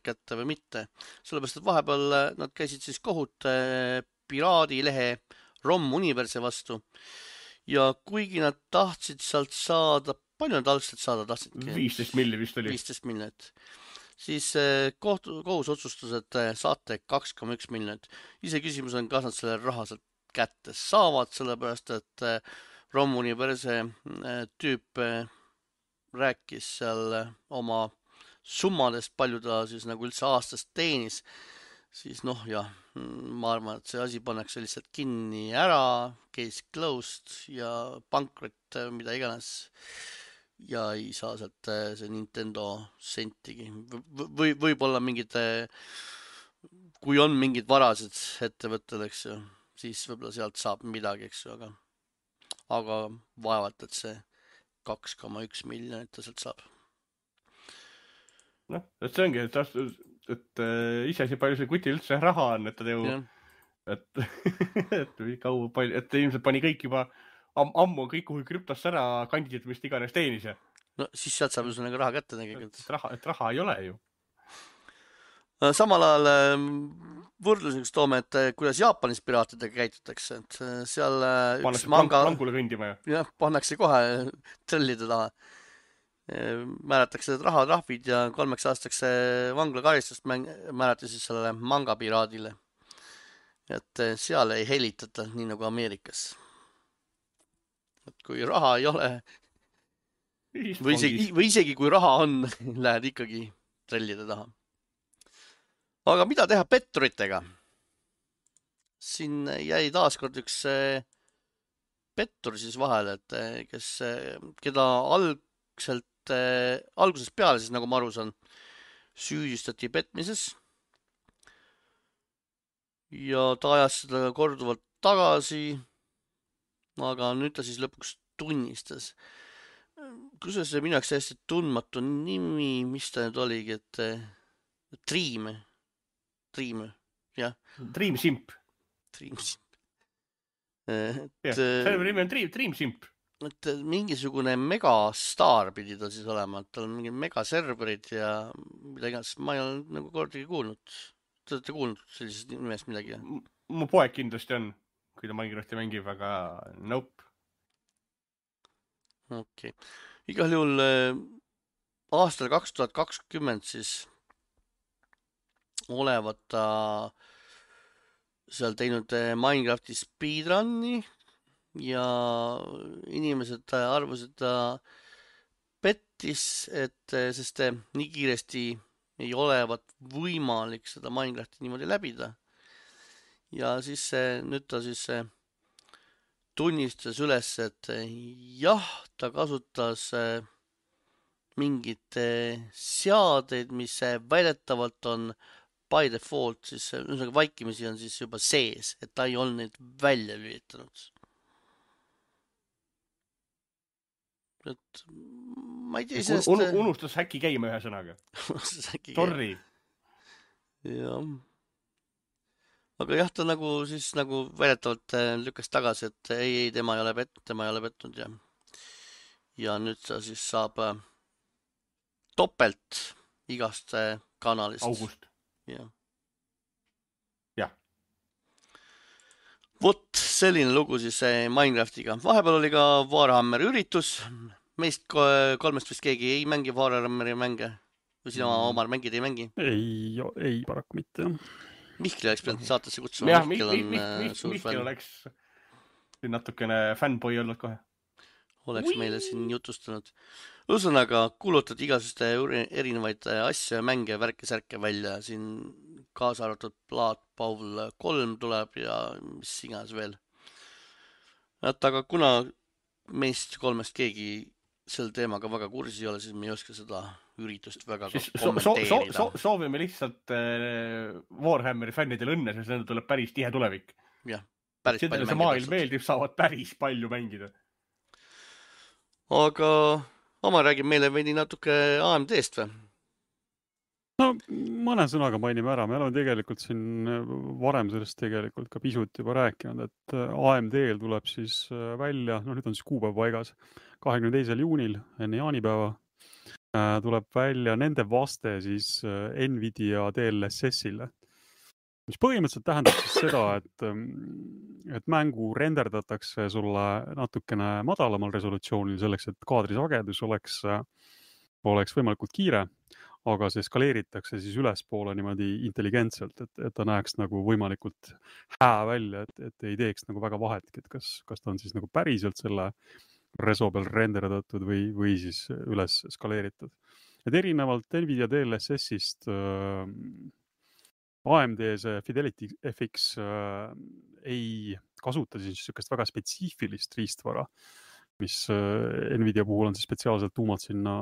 kätte või mitte. Sellepärast, et vahepeal nad käisid siis kohut piraadilehe ROM Universe vastu. Ja kuigi nad tahtsid sealt saada, palju nad algselt saada tahtsidki? 15 miljonit vist oli. 15 miljonit. Siis kohus otsustas, et saate 2.1 miljonit. Ise küsimus on, kas nad selle raha sealt kätte saavad, sellepärast, et ROM Universe tüüp rääkis seal oma summadest, palju ta siis nagu üldse aastast teenis, siis ma arvan, et see asi pannakse lihtsalt kinni ära, case closed ja pankrot, mida iganes, ja ei saa sealt see Nintendo sentigi. Võib-olla kui on mingid varased ettevõtted, eks ju, siis võib-olla sealt saab midagi, eks ju, aga vaevalt, et see 2.1 miljonit ta sealt saab. Et see ongi, et iseasi palju see kutil üldse raha on, et ta teeb, et ilmselt pani kõik juba ammu kõik kuhu krüptosse ära kandid, mis iganes teenis. No siis sealt saab üsna raha kätte tegelikult. Et raha ei ole ju. Samal ajal võrdluseks toome, et kuidas Jaapanis piraatidega käitutakse, et seal üks manga langule kõndima ja pannakse kohe trellide taha. Määratakse rahatrahvid ja 3 aastaks vanglakaristust määrati siis sellele mangapiraadile. Et seal ei helitata nii nagu Ameerikas. Et kui raha ei ole või isegi kui raha on, lähed ikkagi trellide taha. Aga mida teha petturitega? Siin jäi taaskord üks pettur siis vahele, et keda algusest peale siis, nagu ma aru saan, süüdistati petmises. Ja ta ajas seda korduvalt tagasi, aga nüüd ta siis lõpuks tunnistas. Kusjuures see minu jaoks hästi tundmatu nimi, mis ta nüüd oligi, et Dream Simp. Dream Simp. Selle nimi on Dream Simp. et mingisugune megastaar pidi ta siis olema, et tal on mingid megaserverid ja mida iganes. Ma ei ole nagu kordagi kuulnud. Te olete kuulnud sellisest nimest midagi? Mu poeg kindlasti on, kui ta Minecrafti mängib, aga nope. Okei. Igal juhul aastal 2020 siis olevat ta seal teinud Minecrafti speedrun'i ja inimesed arvasid, et ta pettis, sest nii kiiresti ei olevat võimalik seda Minecrafti niimoodi läbida. Ja siis nüüd ta siis tunnistas üles, et jah, ta kasutas mingit seadeid, mis väidetavalt on by default, siis vaikimisi on siis juba sees, et ta ei olnud neid välja lülitanud. Et ma ei tea sellest... Unustas häkki käima ühe sõnaga. Sorry. Jah. Aga jah, ta nagu siis nagu väidetavalt lükkas tagasi, et ei, tema ei ole petnud ja nüüd ta siis saab topelt igast kanalist. August. Jah. Jah. Vot selline lugu siis Minecraftiga. Vahepeal oli ka Warhammeri üritus. Meist kolmest vist keegi ei mängi Warhammeri mänge. Või sina Omar mängid, ei mängi? Ei paraku mitte. Mihkli oleks pidanud saatesse kutsuma. Jah, Mihkel oleks natukene fanboy olnud kohe. Oleks meile siin jutustanud. Ühesõnaga, kuulutati igasuste erinevaid asju ja mänge, värke-särke välja. Siin kaasa arvatud Blood Bowl 3 tuleb ja mis iganes veel. Aga kuna meist kolmest keegi sel teemaga väga kursis ei ole, siis me ei oska seda üritust väga kommenteerida. Soovime lihtsalt Warhammeri fännidele õnne, sest nende tuleb päris tihe tulevik. Jah, päris palju mängida. See maailm meeldib, saavad päris palju mängida. Aga Oma räägib meile veidi natuke AMD-st või? No mõne sõnaga mainime ära. Me oleme tegelikult siin varem sellest tegelikult ka pisut juba rääkinud, et AMD-l tuleb siis välja, nüüd on siis kuupäev paigas, 22. juunil enne jaanipäeva tuleb välja nende vaste siis Nvidia DLSS-ile. Mis põhimõtteliselt tähendab siis seda, et mängu renderdatakse sulle natukene madalamal resolutsioonil selleks, et kaadrisagedus oleks võimalikult kiire, aga see skaleeritakse siis ülespoole niimoodi intelligentselt, et ta näeks nagu võimalikult hää välja, et ei teeks nagu väga vahetki, et kas ta on siis nagu päriselt selle reso peal renderdatud või siis üles skaleeritud. Et erinevalt Nvidia DLSS-ist AMD see Fidelity FX ei kasuta siis niisugust väga spetsiifilist riistvara, mis Nvidia puhul on siis spetsiaalselt tuumad sinna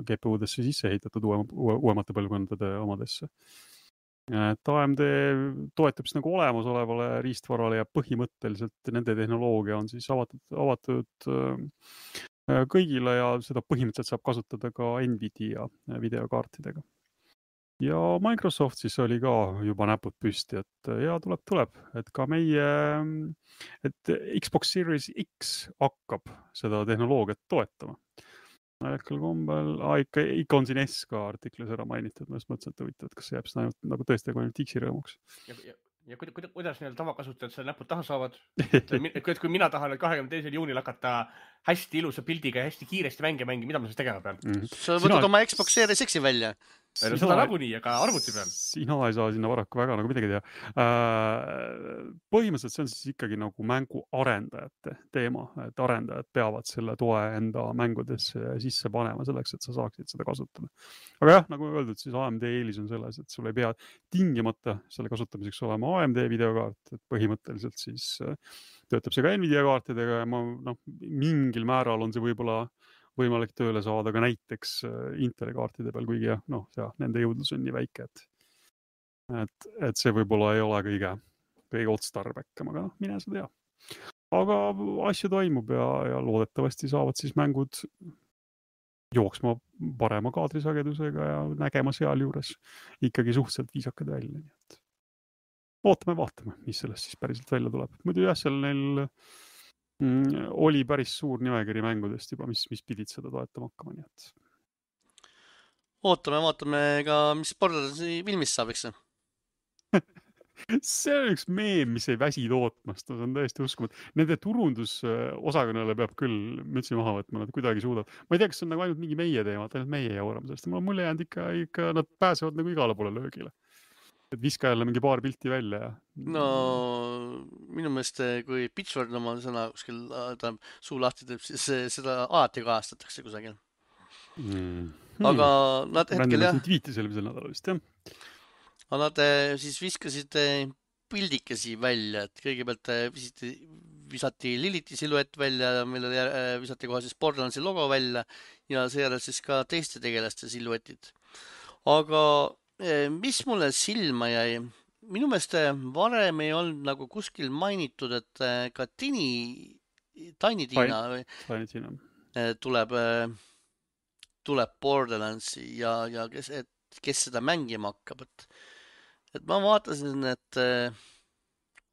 GPU-desse sisse ehitatud uuemate põlvkondade omadesse. Et AMD toetub siis nagu olemasolevale riistvarale ja põhimõtteliselt nende tehnoloogia on siis avatud kõigile ja seda põhimõtteliselt saab kasutada ka Nvidia videokaartidega. Ja Microsoft siis oli ka juba näpud püsti, et ja tuleb, et ka et Xbox Series X hakkab seda tehnoloogiat toetama. Äkkel kombel, ikka on siin S ka artiklis ära mainitud, ma just mõtlesin, et huvitav, et kas see jääb siis ainult nagu tõesti ainult X-i rõõmuks. Ja kuidas neil tavakasutajad selle näpud taha saavad? Kui mina tahan 22. juunil hakata hästi ilusa pildiga ja hästi kiiresti mänge mängima, mida ma siis tegema pean? Sa võtad oma Xbox Series X-i välja. Seda nagunii, aga arvuti peal. Sina ei saa sinna varaku väga nagu midagi teha. Põhimõtteliselt see on siis ikkagi nagu mängu arendajate teema, et arendajad peavad selle toe enda mängudesse sisse panema selleks, et sa saaksid seda kasutada. Aga jah, nagu öeldud, siis AMD eelis on selles, et sul ei pea tingimata selle kasutamiseks olema AMD videokaart, et põhimõtteliselt siis töötab see ka Nvidia kaartidega ja mingil määral on see võib-olla võimalik tööle saada ka näiteks Inteli kaartide peal, kuigi jah, nende jõudlus on nii väike, et see võib-olla ei ole kõige otstarbekam, aga mine sa tea. Aga asju toimub ja loodetavasti saavad siis mängud jooksma parema kaadrisagedusega ja nägema seal juures ikkagi suhteliselt viisakad välja. Nii et vaatame, mis sellest siis päriselt välja tuleb. Muidu jah, seal neil Oli päris suur nimekiri mängudest juba, mis pidid seda toetama hakkama, nii et vaatame ka, mis Borderlandsi filmist saab, eks? see on üks meem, mis ei väsi tootmast, see on täiesti uskumatu. Nende turundusosakonnale peab küll mütsi maha võtma, nad kuidagi suudavad. Ma ei tea, kas see on nagu ainult mingi meie teema, ainult meie jaurame sellest. Mul on mulje jäänud ikka nad pääsevad nagu igale poole löögile. Et viska jälle mingi paar pilti välja ja... No minu meelest, kui Pitchford oma sõna kuskil suu lahti teeb, siis seda alati kajastatakse kusagil. Aga nad hetkel jah... Tweetis eelmisel nädalal vist, jah. Aga nad siis viskasid pildikesi välja, et kõigepealt visati Liliti siluett välja, millele visati kohe siis Borderlandsi logo välja ja seejärel siis ka teiste tegelaste siluetid. Aga mis mulle silma jäi? Minu meelest varem ei olnud nagu kuskil mainitud, et ka Tiny Tina tuleb Borderlandsi ja kes seda mängima hakkab, et ma vaatasin, et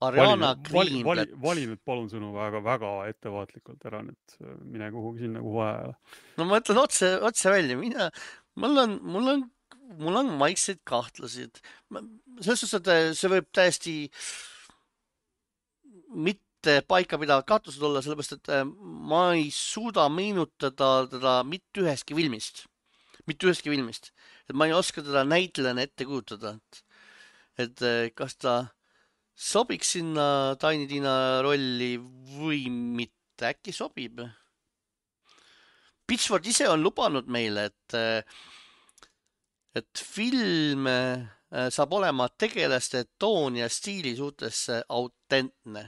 Ariana Greenblatt. Vali nüüd palun sõnu väga ettevaatlikult ära, et mine kuhugi sinna, kuhu vaja. No ma ütlen otse välja, mul on maikseid kahtlasid. Selles suhtes, et see võib täiesti mitte paikapidavat kahtlused olla, sellepärast, et ma ei suuda meenutada teda mitte ühestki filmist. Et ma ei oska teda näitlejana ette kujutada. Et kas ta sobiks sinna Tiny Tina rolli või mitte, äkki sobib. Pitchford ise on lubanud meile, et film saab olema tegelaste toon ja stiili suhtes autentne.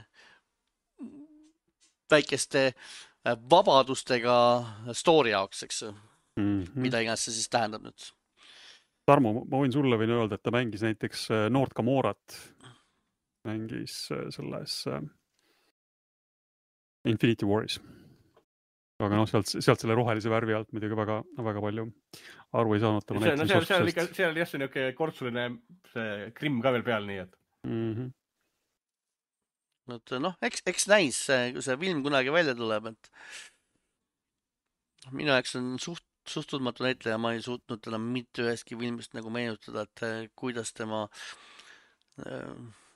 Väikeste vabadustega story jaoks, eks? Mida iganes see siis tähendab nüüd? Tarmo, ma võin öelda, et ta mängis näiteks Noort Gamorat. Mängis selles Infinity Waris. Aga sealt selle rohelise värvi alt muidugi väga palju aru ei saanud. Seal oli jah see niuke kortsuline krimm ka veel peal, nii et. Eks näis, kui see film kunagi välja tuleb, et minu jaoks on suht tundmatu näitleja, ma ei suutnud teda mitte ühestki filmist nagu meenutada, et kuidas tema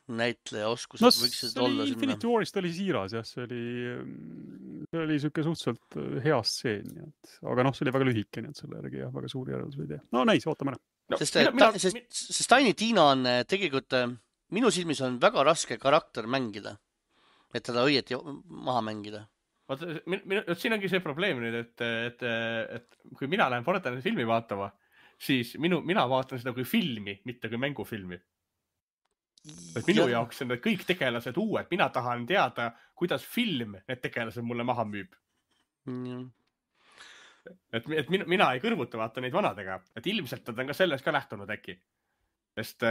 näitleja oskused võiksid olla sinna. Infinity Warist oli siiras, jah, see oli siuke suhteliselt hea stseen, aga see oli väga lühike, nii et selle järgi jah, väga suuri järeldus ei tee. No näis, ootame ära. Sest Tiny Tina on tegelikult, minu silmis on väga raske karakter mängida, et teda õieti maha mängida. Siin ongi see probleem nüüd, et kui mina lähen Borderlandsi filmi vaatama, siis mina vaatan seda kui filmi, mitte kui mängufilmi. Et minu jaoks on need kõik tegelased uued. Mina tahan teada, kuidas film need tegelased mulle maha müüb. Et mina ei kõrvuta vaata neid vanadega. Et ilmselt nad on ka sellest ka lähtunud äkki. Sest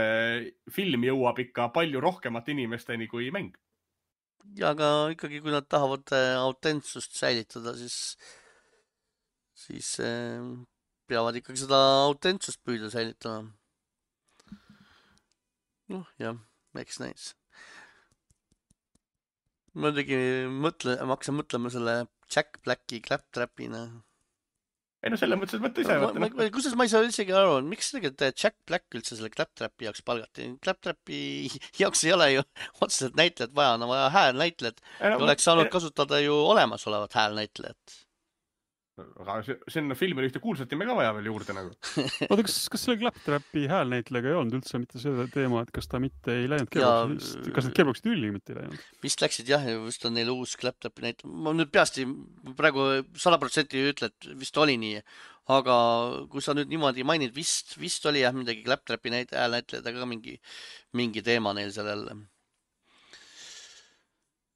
film jõuab ikka palju rohkemat inimesteni kui mäng. Ja aga ikkagi, kui nad tahavad autentsust säilitada, siis peavad ikkagi seda autentsust püüda säilitada. Jah, eks näis. Ma hakkasin mõtlema selle Jack Blacki Claptrapina. Ei selle mõttes, et mõtle ise. Kusjuures ma ei saa isegi aru, miks tegelikult Jack Black üldse selle Claptrapi jaoks palgati. Claptrapi jaoks ei ole ju otseselt näitlejat vaja, on vaja häälnäitlejat. Oleks saanud kasutada ju olemasolevat häälnäitlejat. Aga sinna filmi ühte kuulsat nime ka vaja veel juurde nagu. Oota, kas selle Claptrapi häälnäitlejaga ei olnud üldse mitte selle teema, et kas ta mitte ei läinud keeruks? Kas need keeruks tülli mitte ei läinud? Vist läksid jah, vist on neil uus Claptrapi näitleja. Ma nüüd peasti praegu 100% ütle, et vist oli nii. Aga kui sa nüüd niimoodi mainid, vist oli jah midagi Claptrapi häälnäitlejad, aga mingi teema neil sellel.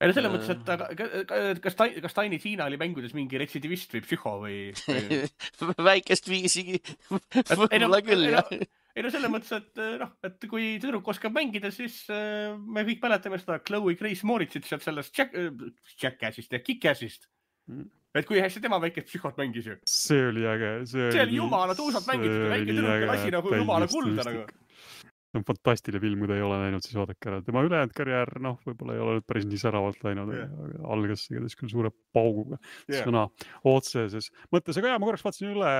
Selle mõttes, et kas Tiny Tina oli mängudes mingi retsidivist või psühho või... Väikest viisi võib-olla küll, jah. Ei no selle mõttes, et kui tüdruk oskab mängida, siis me kõik mäletame seda Chloe Grace Moritzit sealt sellest Jackassist ja Kick-Assist. Et kui hästi tema väikest psühhot mängis ju. See oli äge. See oli jumala tuusalt mängitud, väike tüdruk lasi nagu jumala kulda nagu. see on fantastiline film, kui ta ei ole näinud, siis vaadake ära. Tema ülejäänud karjäär, noh, võib-olla ei ole nüüd päris nii säravalt läinud, aga algas igatahes küll suure pauguga sõna otseses mõttes. Aga ma korraks vaatasin üle,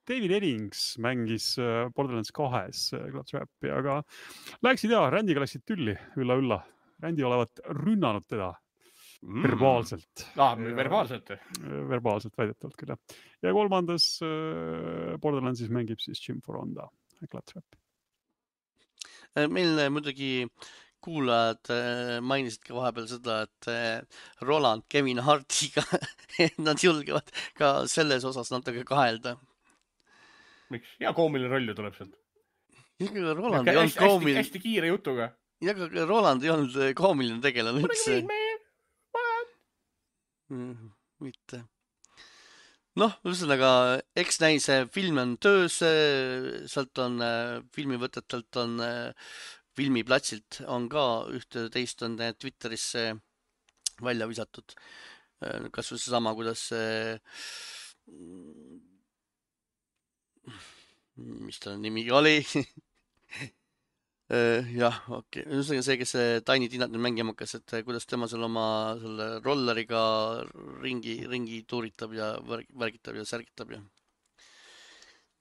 David Eddings mängis Borderlands 2-s Claptrapi, aga Randiga läksid tülli, ülla. Randi olevat rünnanud teda verbaalselt. Verbaalselt? Verbaalselt väidetavalt küll, jah. Ja kolmandas Borderlandsis mängib siis Jim Foronda Claptrap. Meil muidugi kuulajad mainisid ka vahepeal seda, et Roland Kevin Hartiga nad julgevad ka selles osas natuke kahelda. Miks? Hea koomiline roll ju tuleb sealt. Roland ei olnud koomiline. Hästi kiire jutuga. Ja ka Roland ei olnud koomiline tegelane üldse. Mitte. Noh, ühesõnaga, eks näis film on töös, sealt on filmivõtetelt on filmiplatsilt on ka ühte teist on Twitterisse välja visatud. Kas või seesama, kuidas mis ta nimi oli? Jah, okei. Ühesõnaga see, kes Tiny Tinat nüüd mängima hakkas, et kuidas tema seal oma selle rolleriga ringi tuuritab ja värgitab ja särgitab ja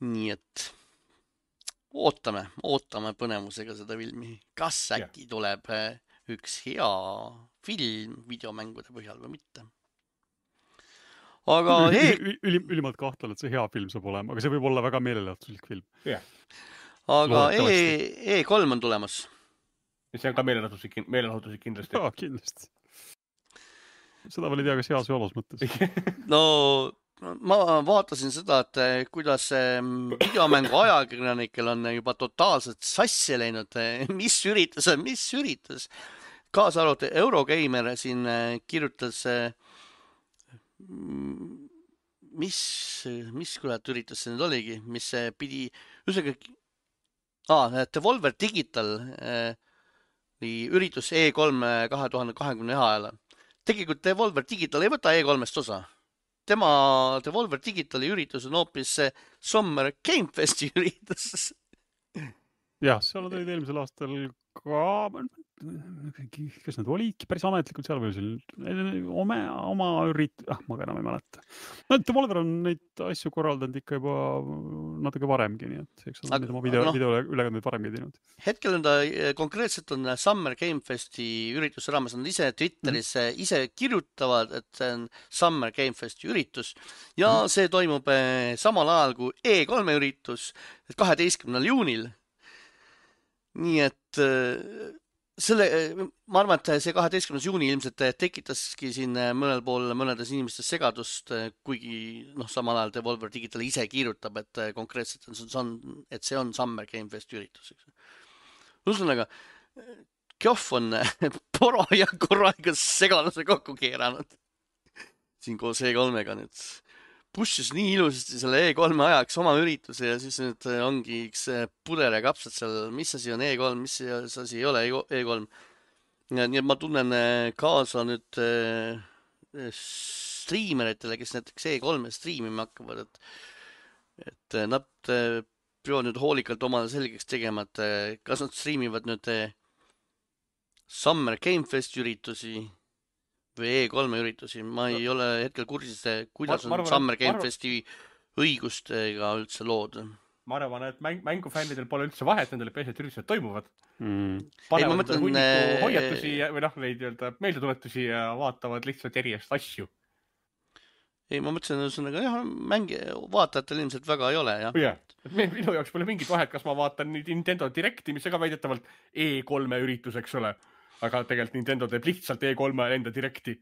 nii et ootame põnevusega seda filmi. Kas äkki tuleb üks hea film videomängude põhjal või mitte? Aga ülimalt kahtlen, et see hea film saab olema, aga see võib olla väga meelelahutuslik film. Aga E3 on tulemas. See on ka meelelahutuslik kindlasti. Jaa, kindlasti. Seda veel ei tea, kas heas või halvas mõttes. No, ma vaatasin seda, et kuidas videomängu ajakirjanikel on juba totaalselt sassi läinud. Mis üritus. Kaasa arvatud Eurogeimer siin kirjutas, mis kurat üritus see nüüd oligi, mis pidi Devolver Digital üritus E3 2020 ajal. Tegelikult Devolver Digital ei võta E3-st osa. Devolver Digitali üritus on hoopis Summer Game Festi üritus. Jah, seal olid eelmisel aastal ka, kas need olidki päris ametlikult seal või oma ma ka enam ei mäleta. Devolver on neid asju korraldanud ikka juba natuke varemgi, nii et eks on oma videoülekandeid varemgi teinud. Hetkel on ta konkreetselt on Summer Game Festi ürituse raames, on ise Twitteris ise kirjutavad, et see on Summer Game Festi üritus ja see toimub samal ajal kui E3 üritus 12. juunil. Nii et ma arvan, et see 12. juuni ilmselt tekitaski siin mõnedes inimestes segadust, kuigi samal ajal Devolver Digital ise kirjutab, et konkreetselt et see on Summer Game Fest üritus. Ühesõnaga, Kjoff on poro ja korraga segaduse kokku keeranud. Siin koos E3-ga nüüd. Pushis nii ilusasti selle E3 ajaks oma ürituse ja siis nüüd ongi üks puder ja kapsad seal, mis asi on E3, mis asi ei ole E3. Nii et ma tunnen kaasa nüüd striimeritele, kes näiteks E3 striimima hakkavad, et nad peavad nüüd hoolikalt omale selgeks tegema, et kas nad striimivad nüüd Summer Game Fest üritusi või E3 üritusi. Ma ei ole hetkel kursis, kuidas on Summer Game Festi õigustega üldse lood. Ma arvan, et mängufännidel pole üldse vahet, nendele peaasi, et üritused toimuvad. Panevad hunniku hoiatusi või neid meeldetuletusi ja vaatavad lihtsalt järjest asju. Ei, ma mõtlesin, ühesõnaga, vaatajatel ilmselt väga ei ole, jah. Minu jaoks pole mingit vahet, kas ma vaatan Nintendo Directi, mis ka väidetavalt E3 üritus, eks ole. Aga tegelikult Nintendo teeb lihtsalt E3 enda Directi.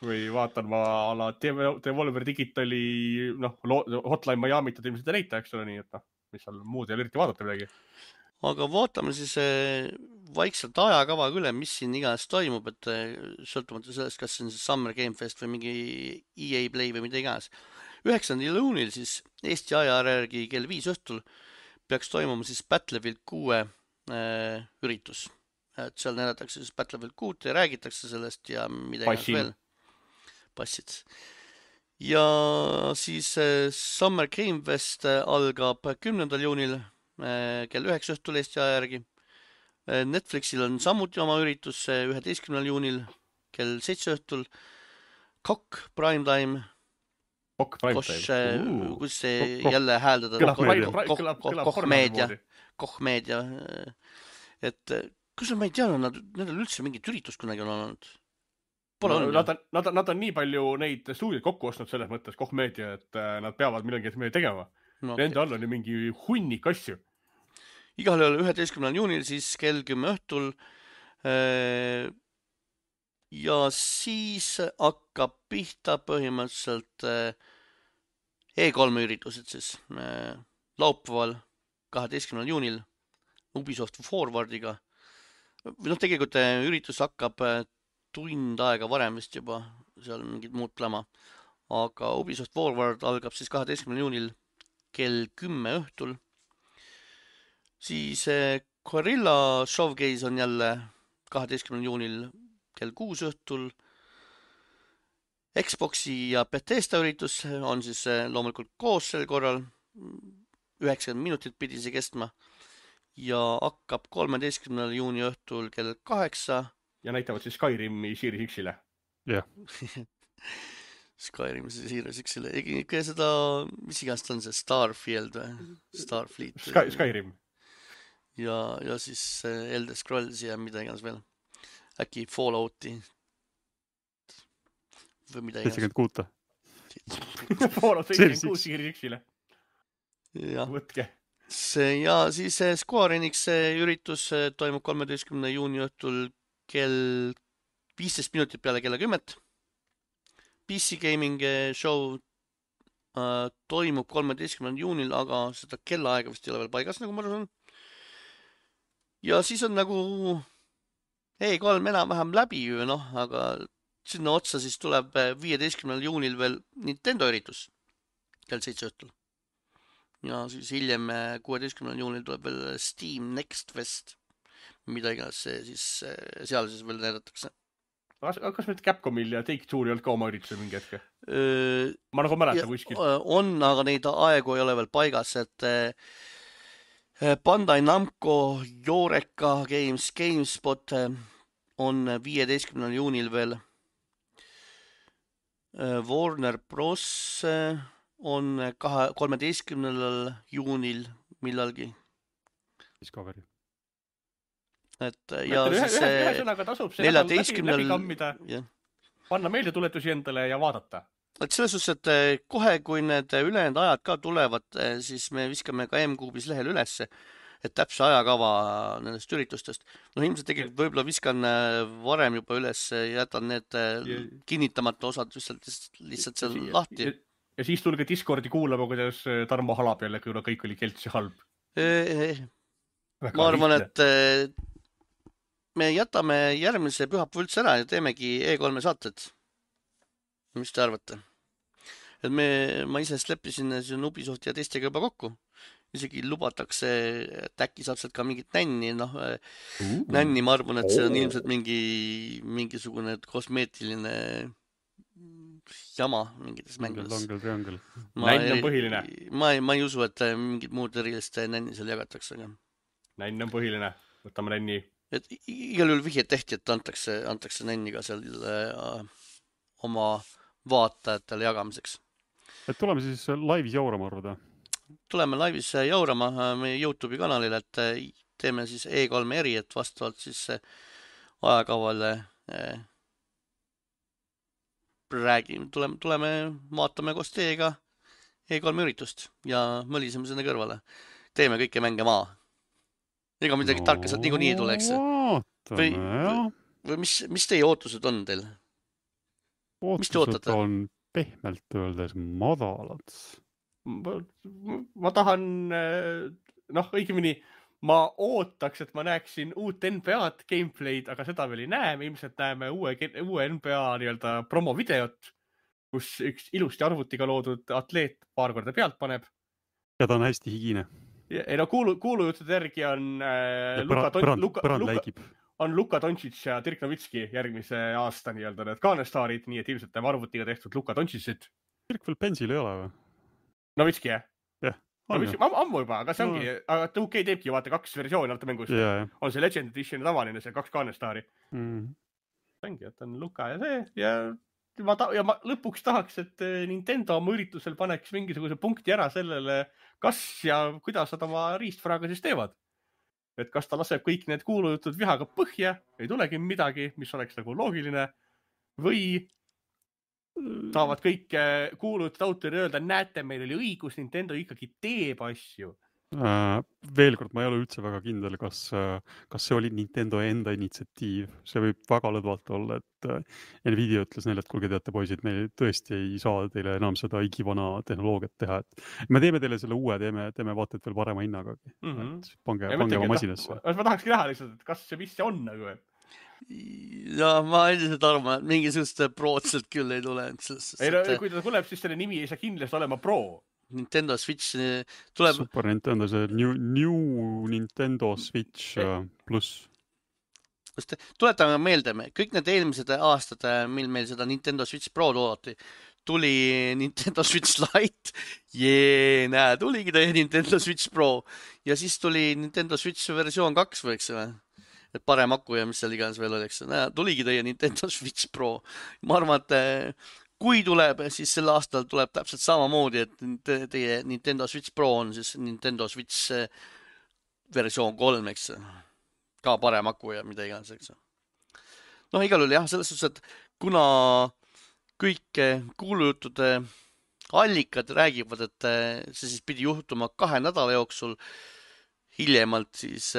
Või vaatan ma ala Devolver Digitali Hotline Miami't ilmselt leita, eks ole, nii et mis seal muud ei ole eriti vaadata midagi. Aga vaatame siis vaikselt ajakava üle, mis siin iganes toimub, et sõltumata sellest, kas see on Summer Game Fest või mingi EA Play või mida iganes. 9. juunil siis Eesti aja järgi kell 5 õhtul peaks toimuma siis Battlefield 6 üritus. Et seal näidatakse siis Battlefield 6 ja räägitakse sellest ja midagi veel. Passid. Ja siis Summer Game Fest algab 10. juunil kell 9 õhtul Eesti aja järgi. Netflixil on samuti oma üritus 11. juunil kell 7 õhtul. Kokk Primetime. Kus see jälle hääldada? Koch-meedia. Et kus ma ei teadnud, nendel üldse mingit üritust kunagi on olnud. Pole olnud. Nad on nii palju neid stuudioid kokku ostnud selles mõttes Koch-meedia, et nad peavad millegi tegema. Nende all on ju mingi hunnik asju. Igal juhul 11. juunil siis kell 10 õhtul. Ja siis hakkab pihta põhimõtteliselt E3 üritused siis laupäeval 12. juunil Ubisoft Forwardiga. Tegelikult üritus hakkab tund aega varem vist juba, seal mingid muud plama. Aga Ubisoft Forward algab siis 12. juunil kell 10 õhtul. Siis Guerrilla Showcase on jälle 12. juunil kell 6 õhtul. Xboxi ja Bethesda üritus on siis loomulikult koos sel korral. 90 minutit pidi see kestma. Ja hakkab 13. juuni õhtul kell 8. Ja näitavad siis Skyrimi Series X-ile. Jah. Skyrim Series X-ile. Ikka seda, mis igast on see Starfield või? Starfleet. Skyrim. Ja siis Elder Scrolls ja mida iganes veel. Äkki Fallouti. Või mida iganes. 76. Fallout 76 Series X-ile. Võtke. Ja siis Square Enix üritus toimub 13. juuni õhtul kell 15 minutit peale kella 10. PC Gaming show toimub 13. juunil, aga seda kellaaega vist ei ole veel paigas, nagu ma arvan. Ja siis on nagu E3 enam-vähem läbi ju, aga sinna otsa siis tuleb 15. juunil veel Nintendo üritus kell 7 õhtul. Ja siis hiljem 16. juunil tuleb veel Steam Next Fest, mida iganes siis seal siis veel näidatakse. Kas nüüd Capcomil ja Take-Two ei olnud ka oma üritusel mingi hetke? Ma nagu mäletan kuskil. On, aga neid aegu ei ole veel paigas, et Bandai Namco, Eureka Games, GameSpot on 15. juunil veel. Warner Bros. On 13. juunil millalgi. Discovery. Et ja siis ühesõnaga tasub see 14. läbi kammida, panna meeldetuletusi endale ja vaadata. Et selles suhtes, et kohe, kui need ülejäänud ajad ka tulevad, siis me viskame ka M-Kuubis lehel ülesse, et täpse ajakava nendest üritustest. Ilmselt tegelikult võib-olla viskan varem juba üles, jätan need kinnitamata osad lihtsalt seal lahti. Ja siis tulge Discordi kuulama, kuidas Tarmo halab jälle, kuna kõik oli keltsi halb. Ma arvan, et me jätame järgmise pühapäeva üldse ära ja teemegi E3 saated. Mis te arvate? Et ma ise leppisin Ubisoft ja teistega juba kokku. Isegi lubatakse, et äkki saab sealt ka mingit nänni. Nänni ma arvan, et see on ilmselt mingisugune kosmeetiline jama mingites mängudes. Nänn on põhiline. Ma ei usu, et mingid muud erilist nänni seal jagatakse. Nänn on põhiline. Võtame nänni. Et igal juhul vihjed tehti, et antakse nänni ka seal oma vaatajatele jagamiseks. Et tuleme siis laivis jaurama arvada? Tuleme laivis jaurama meie YouTube'i kanalil, et teeme siis E3 eri, et vastavalt siis ajakavale tuleme vaatame koos teiega E3 üritust ja mõliseme sinna kõrvale. Teeme kõike mänge maa. Ega midagi tarka sealt niikuinii ei tuleks. Või mis teie ootused on teil? Ootused on pehmelt öeldes madalad. Ma tahan, õigemini ma ootaks, et ma näeksin uut NBA-d gameplay'd, aga seda veel ei näe. Me ilmselt näeme uue NBA nii-öelda promovideot, kus üks ilusti arvutiga loodud atleet paar korda pealt paneb. Ja ta on hästi higine. Ei kuulujuttude järgi on Luka Doncic ja Dirk Nowitzki järgmise aasta nii-öelda need kaanestaarid, nii et ilmselt näeme arvutiga tehtud Luka Doncicit. Dirk veel pensil ei ole või? Nowitzki, jah? Jah. ammu juba, aga see ongi, aga 2K teebki vaata 2 versiooni alata mängust. On see Legend Edition ja tavaline, see 2 Garnestari. Ongi, et on Luka ja see ja ma lõpuks tahaks, et Nintendo oma üritusel paneks mingisuguse punkti ära sellele, kas ja kuidas nad oma riistvaraga siis teevad. Et kas ta laseb kõik need kuulujutud vihaga põhja, ei tulegi midagi, mis oleks nagu loogiline, või saavad kõik kuulujutud autorid öelda, näete, meil oli õigus, Nintendo ikkagi teeb asju. Veel kord, ma ei ole üldse väga kindel, kas see oli Nintendo enda initsiatiiv. See võib väga lõdvalt olla, et Nvidia ütles neile, et kuulge teate poisid, me tõesti ei saa teile enam seda igivana tehnoloogiat teha. Et me teeme teile selle uue, teeme vaata, et veel parema hinnagagi. Pange oma masinasse. Ma tahakski näha lihtsalt, et kas see mis see on nagu. Ja ma üldiselt arvan, et mingisugust prootselt küll ei tule. Kui ta tuleb, siis selle nimi ei saa kindlasti olema Pro. Nintendo Switch tuleb... Super Nintendo, see New Nintendo Switch pluss. Tuletame meelde, kõik need eelmised aastad, mil meil seda Nintendo Switch Pro toodati, tuli Nintendo Switch Lite, näe, tuligi ta Nintendo Switch Pro ja siis tuli Nintendo Switch versioon 2 võiks või? Et parem aku ja mis seal iganes veel oleks. Tuligi teie Nintendo Switch Pro. Ma arvan, et kui tuleb, siis sel aastal tuleb täpselt samamoodi, et teie Nintendo Switch Pro on siis Nintendo Switch versioon 3, eks. Ka parem aku ja mida iganes, eks. Noh, igal juhul jah, selles suhtes, et kuna kõik kuulujutude allikad räägivad, et see siis pidi juhtuma 2 nädala jooksul, hiljemalt siis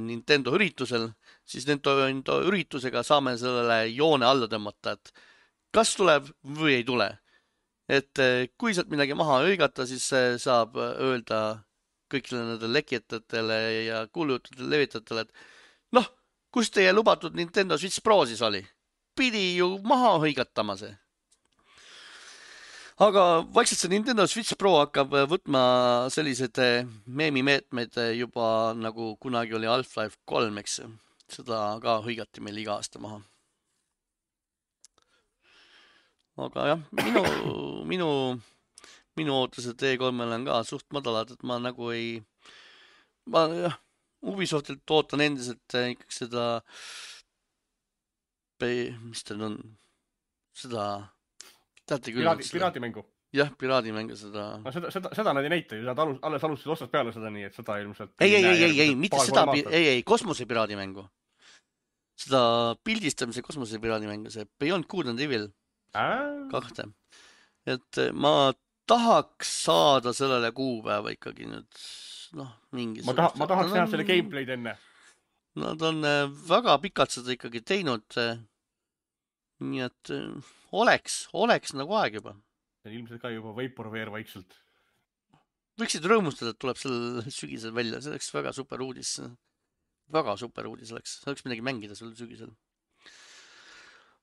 Nintendo üritusel, siis Nintendo üritusega saame sellele joone alla tõmmata, et kas tuleb või ei tule. Et kui sealt midagi maha hõigata, siis saab öelda kõikidele nendele lekijatele ja kuulujutudele levitajatele, et noh, kus teie lubatud Nintendo Switch Pro siis oli? Pidi ju maha hõigatama see. Aga vaikselt see Nintendo Switch Pro hakkab võtma sellised meemimeetmeid juba nagu kunagi oli Half-Life 3, eks. Seda ka hõigati meil iga aasta maha. Aga jah, minu ootused E3-l on ka suht madalad, et ma nagu Ubisoftilt ootan endiselt ikkagi seda, mis teil on, seda, teate küll. Piraadimängu. Jah, piraadimängu seda. No seda nad ei näita ju, nad alles alustasid ostast peale seda nii, et seda ilmselt. Ei, mitte seda, ei, kosmose piraadimängu. Seda pildistamise kosmose piraadimängu, see Beyond Good and Evil. 2. Et ma tahaks saada sellele kuupäeva ikkagi nüüd, mingi... Ma tahaks näha selle gameplay'd enne. Nad on väga pikalt seda ikkagi teinud. Nii et oleks nagu aeg juba. See on ilmselt ka juba Vaporware vaikselt. Võiksid rõõmustada, et tuleb sel sügisel välja. See oleks väga super uudis. Väga super uudis oleks. See oleks midagi mängida sel sügisel.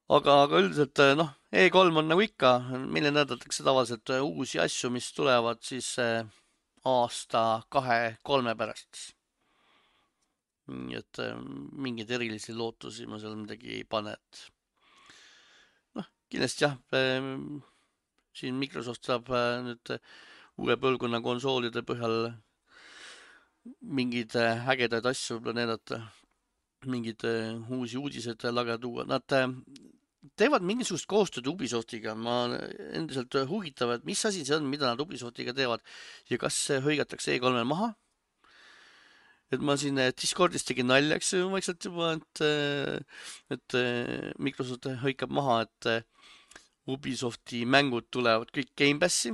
Aga üldiselt, E3 on nagu ikka, meile näidatakse tavaliselt uusi asju, mis tulevad siis aasta 2-3 pärast. Nii et mingeid erilisi lootusi ma seal midagi ei pane. Kindlasti jah, siin Microsoft saab nüüd uue põlvkonna konsoolide põhjal mingeid ägedaid asju planeerata. Mingid uusi uudised laga tuua. Nad teevad mingisugust koostööd Ubisoftiga. Ma endiselt huvitav, et mis asi see on, mida nad Ubisoftiga teevad ja kas hõigatakse E3 maha. Et ma siin Discordis tegin naljaks vaikselt juba, et Microsoft hõikab maha, et Ubisofti mängud tulevad kõik Game Passi.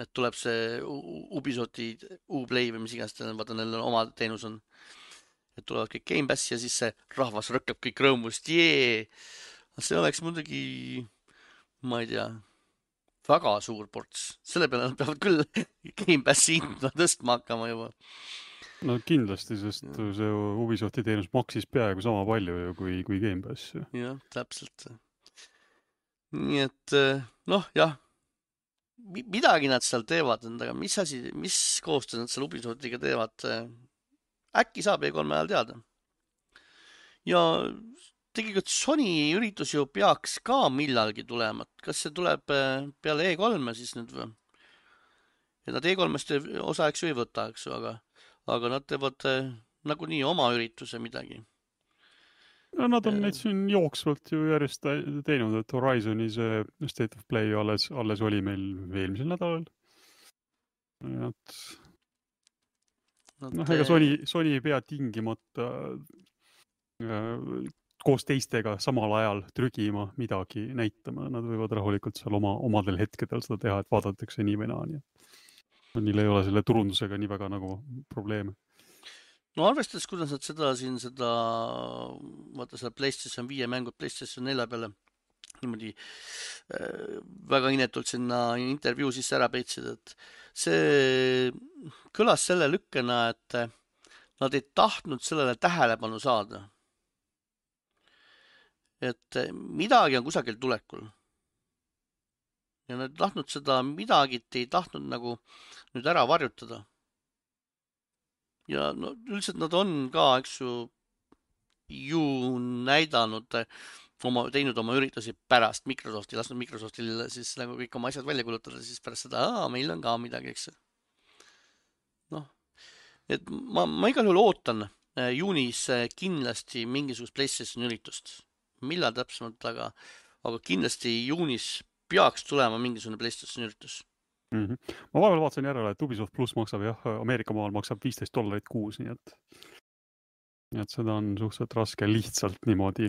Et tuleb see Ubisofti Uplay või mis iganes, vaata neil oma teenus on. Et tulevad kõik Game Pass ja siis see rahvas rõkkab kõik rõõmust. See oleks muidugi, ma ei tea, väga suur ports. Selle peale nad peavad küll Game Passi hinda tõstma hakkama juba. No kindlasti, sest see Ubisofti teenus maksis peaaegu sama palju kui Game Pass. Jah, täpselt. Nii et, jah, midagi nad seal teevad endaga. Mis koostöö nad seal Ubisoftiga teevad? Äkki saab E3 ajal teada. Ja tegelikult Sony üritus ju peaks ka millalgi tulema. Kas see tuleb peale E3 siis nüüd või? ja nad E3-st osa eks ju ei võta, eks ju, aga nad teevad nagunii oma ürituse midagi. No, nad on neid siin jooksvalt ju järjest teinud, et Horizoni see State of Play alles oli meil eelmisel nädalal. Ega Sony ei pea tingimata koos teistega samal ajal trügima midagi näitama. Nad võivad rahulikult seal omadel hetkedel seda teha, et vaadatakse nii või naa. Neil ei ole selle turundusega nii väga nagu probleeme. No arvestades, kuidas nad vaata seda PlayStation 5 mängud PlayStation 4 peale niimoodi väga inetult sinna intervjuu sisse ära peitsid, et see kõlas selle lükkena, et nad ei tahtnud sellele tähelepanu saada. Et midagi on kusagil tulekul. Ja nad ei tahtnud seda midagi, ei tahtnud nagu nüüd ära varjutada. Ja no, üldiselt nad on ka, eks ju näidanud, teinud oma üritusi pärast Microsofti, lasknud Microsoftil siis nagu kõik oma asjad välja kulutada, siis pärast seda, meil on ka midagi, eks. Noh, et ma igal juhul ootan juunis kindlasti mingisugust PlayStation üritust. Millal täpsemalt, aga kindlasti juunis peaks tulema mingisugune PlayStation üritus. Ma vahepeal vaatasin järele, et Ubisoft Plus maksab Ameerika maal maksab $15 kuus, nii et seda on suhteliselt raske lihtsalt niimoodi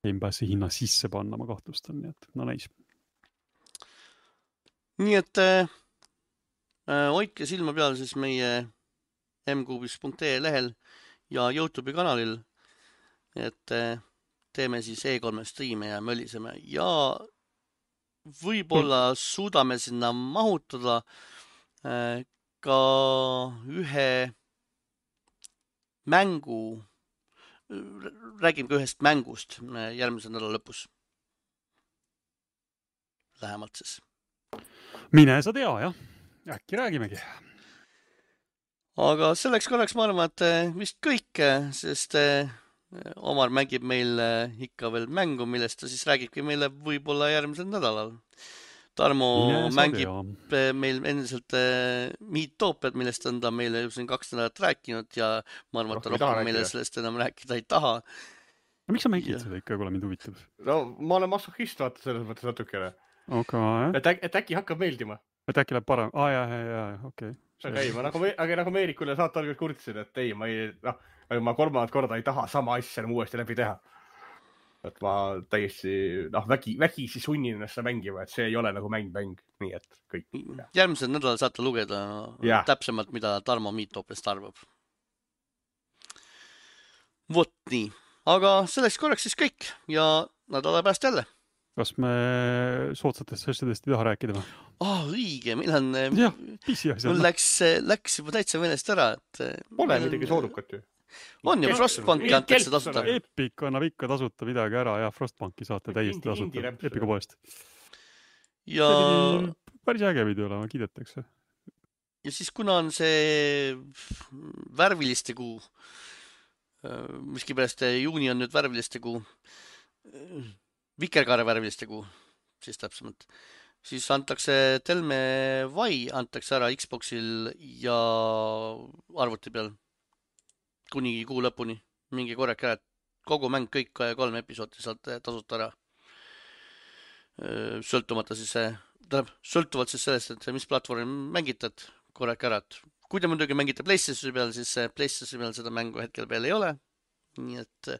Game Passi hinna sisse panna, ma kahtlustan, nii et no näis. Nii et hoidke silma peal siis meie mkuubis.ee lehel ja YouTube'i kanalil, et teeme siis E3 striime ja möliseme ja võib-olla suudame sinna mahutada ka ühe mängu, räägime ka ühest mängust järgmise nädala lõpus. Lähemalt siis. Mine sa tea, jah. Äkki räägimegi. Aga selleks korraks ma arvan, et vist kõik, sest Omar mängib meil ikka veel mängu, millest ta siis räägibki meile võib-olla järgmisel nädalal. Tarmo mängib meil endiselt Miitopiat, millest on ta meile juba 2 nädalat rääkinud ja ma arvan, et ta rohkem meile sellest enam rääkida ei taha. No, miks sa mängid seda ikka, kui mind huvitab? No, ma olen masohhist, vaata selles mõttes natukene. Okay. Et äkki hakkab meeldima. Et äkki läheb parem? Okei. Aga nagu Meerikule saate alguses kurtsin, et ei, ma 3. korda ei taha sama asja uuesti läbi teha. Et ma täiesti vägisi sunnin ennast mängima, et see ei ole nagu mäng, nii et kõik. Järgmisel nädalal saate lugeda täpsemalt, mida Tarmo Miitopiast arvab. Vot nii. Aga selleks korraks siis kõik ja nädala pärast jälle. Kas me soodsatest asjadest ei taha rääkida või? Õige, meil on... Mul läks juba täitsa meelest ära, et... Pole midagi soodukat ju. On ju, Frostbanki antakse tasuta. Epic annab ikka tasuta midagi ära ja Frostbanki saate täiesti tasuta Epica poest. Ja... Päris äge video olema, kiidetakse. Ja siis kuna on see värviliste kuu, miskipärast juuni on nüüd värviliste kuu, Vikerkaare värviliste kuu, siis täpsemalt, siis antakse Telme Vai antakse ära Xboxil ja arvuti peal kuni kuu lõpuni. Mingi korrake ära, et kogu mäng, kõik 3 episoodi saate tasuta ära. Sõltuvalt siis sellest, et mis platvormi mängitad, korrake ära. Kui te muidugi mängite PlayStationi peal, siis PlayStationi peal seda mängu hetkel veel ei ole. Nii et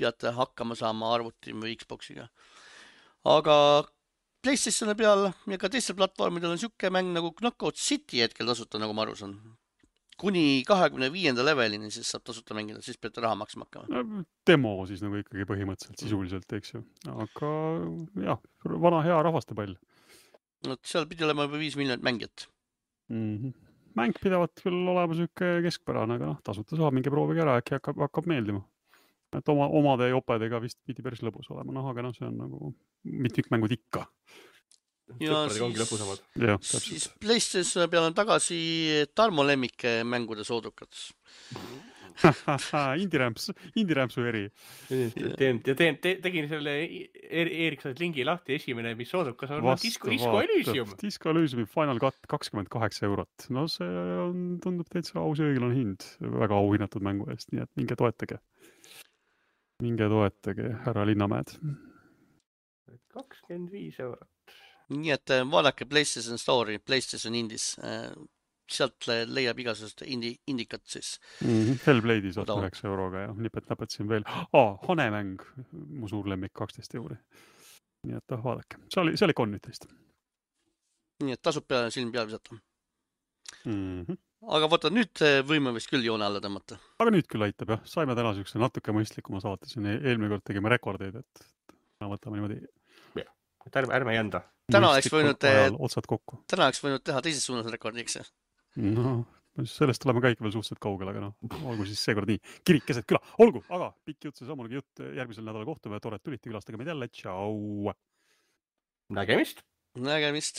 peate hakkama saama arvuti või Xboxiga. Aga PlayStationi peal ja ka teistel platvormidel on siuke mäng nagu Knockout City hetkel tasuta, nagu ma aru saan. Kuni 25. levelini siis saab tasuta mängida, siis peate raha maksma hakkama. Demo siis nagu ikkagi põhimõtteliselt sisuliselt, eks ju. Aga jah, vana hea rahvastepall. No, seal pidi olema juba 5 miljonit mängijat. Mäng pidavat küll olema siuke keskpärane, aga tasuta saab mingi proovigi ära, äkki hakkab meeldima. Et omade jopedega vist pidi päris lõbus olema, aga see on nagu mitmikmängud ikka. Ja siis PlayStation peal on tagasi Tarmo lemmike mängude soodukad. Indie-rämpsu eri. Tegin selle Ericssoni lingi lahti, esimene, mis soodukas on Disco Elysium. Disco Elysiumi Final Cut 28 €. No see tundub täitsa aus ja õiglane hind väga auhinnatud mängu eest, nii et minge toetage. Härra Linnamäed. 25 €. Nii et vaadake PlayStation Store'i, PlayStation Indies. Sealt leiab igasugust indikat siis. Hellblade'i saad 9 € ja nipet-näpet siin veel. Hanemäng, mu suur lemmik, 12 €. Nii et vaadake, see oli ikka on nüüd teist. Nii et tasub silm peal visata. Aga vaata, nüüd võime vist küll joone alla tõmmata. Aga nüüd küll aitab jah, saime täna siukse natuke mõistlikuma saate siin, eelmine kord tegime rekordeid, et võtame niimoodi. Ärme jända. Täna oleks võinud teha teises suunas rekordi, eks? No, sellest tuleme ka ikka veel suhteliselt kaugel, aga olgu siis seekord nii. Kirik keset küla, olgu, aga pikk jutt, see samugi jutt, järgmisel nädala kohtume ja tore, et tulite külastage meid jälle, tšau! Nägemist! Nägemist!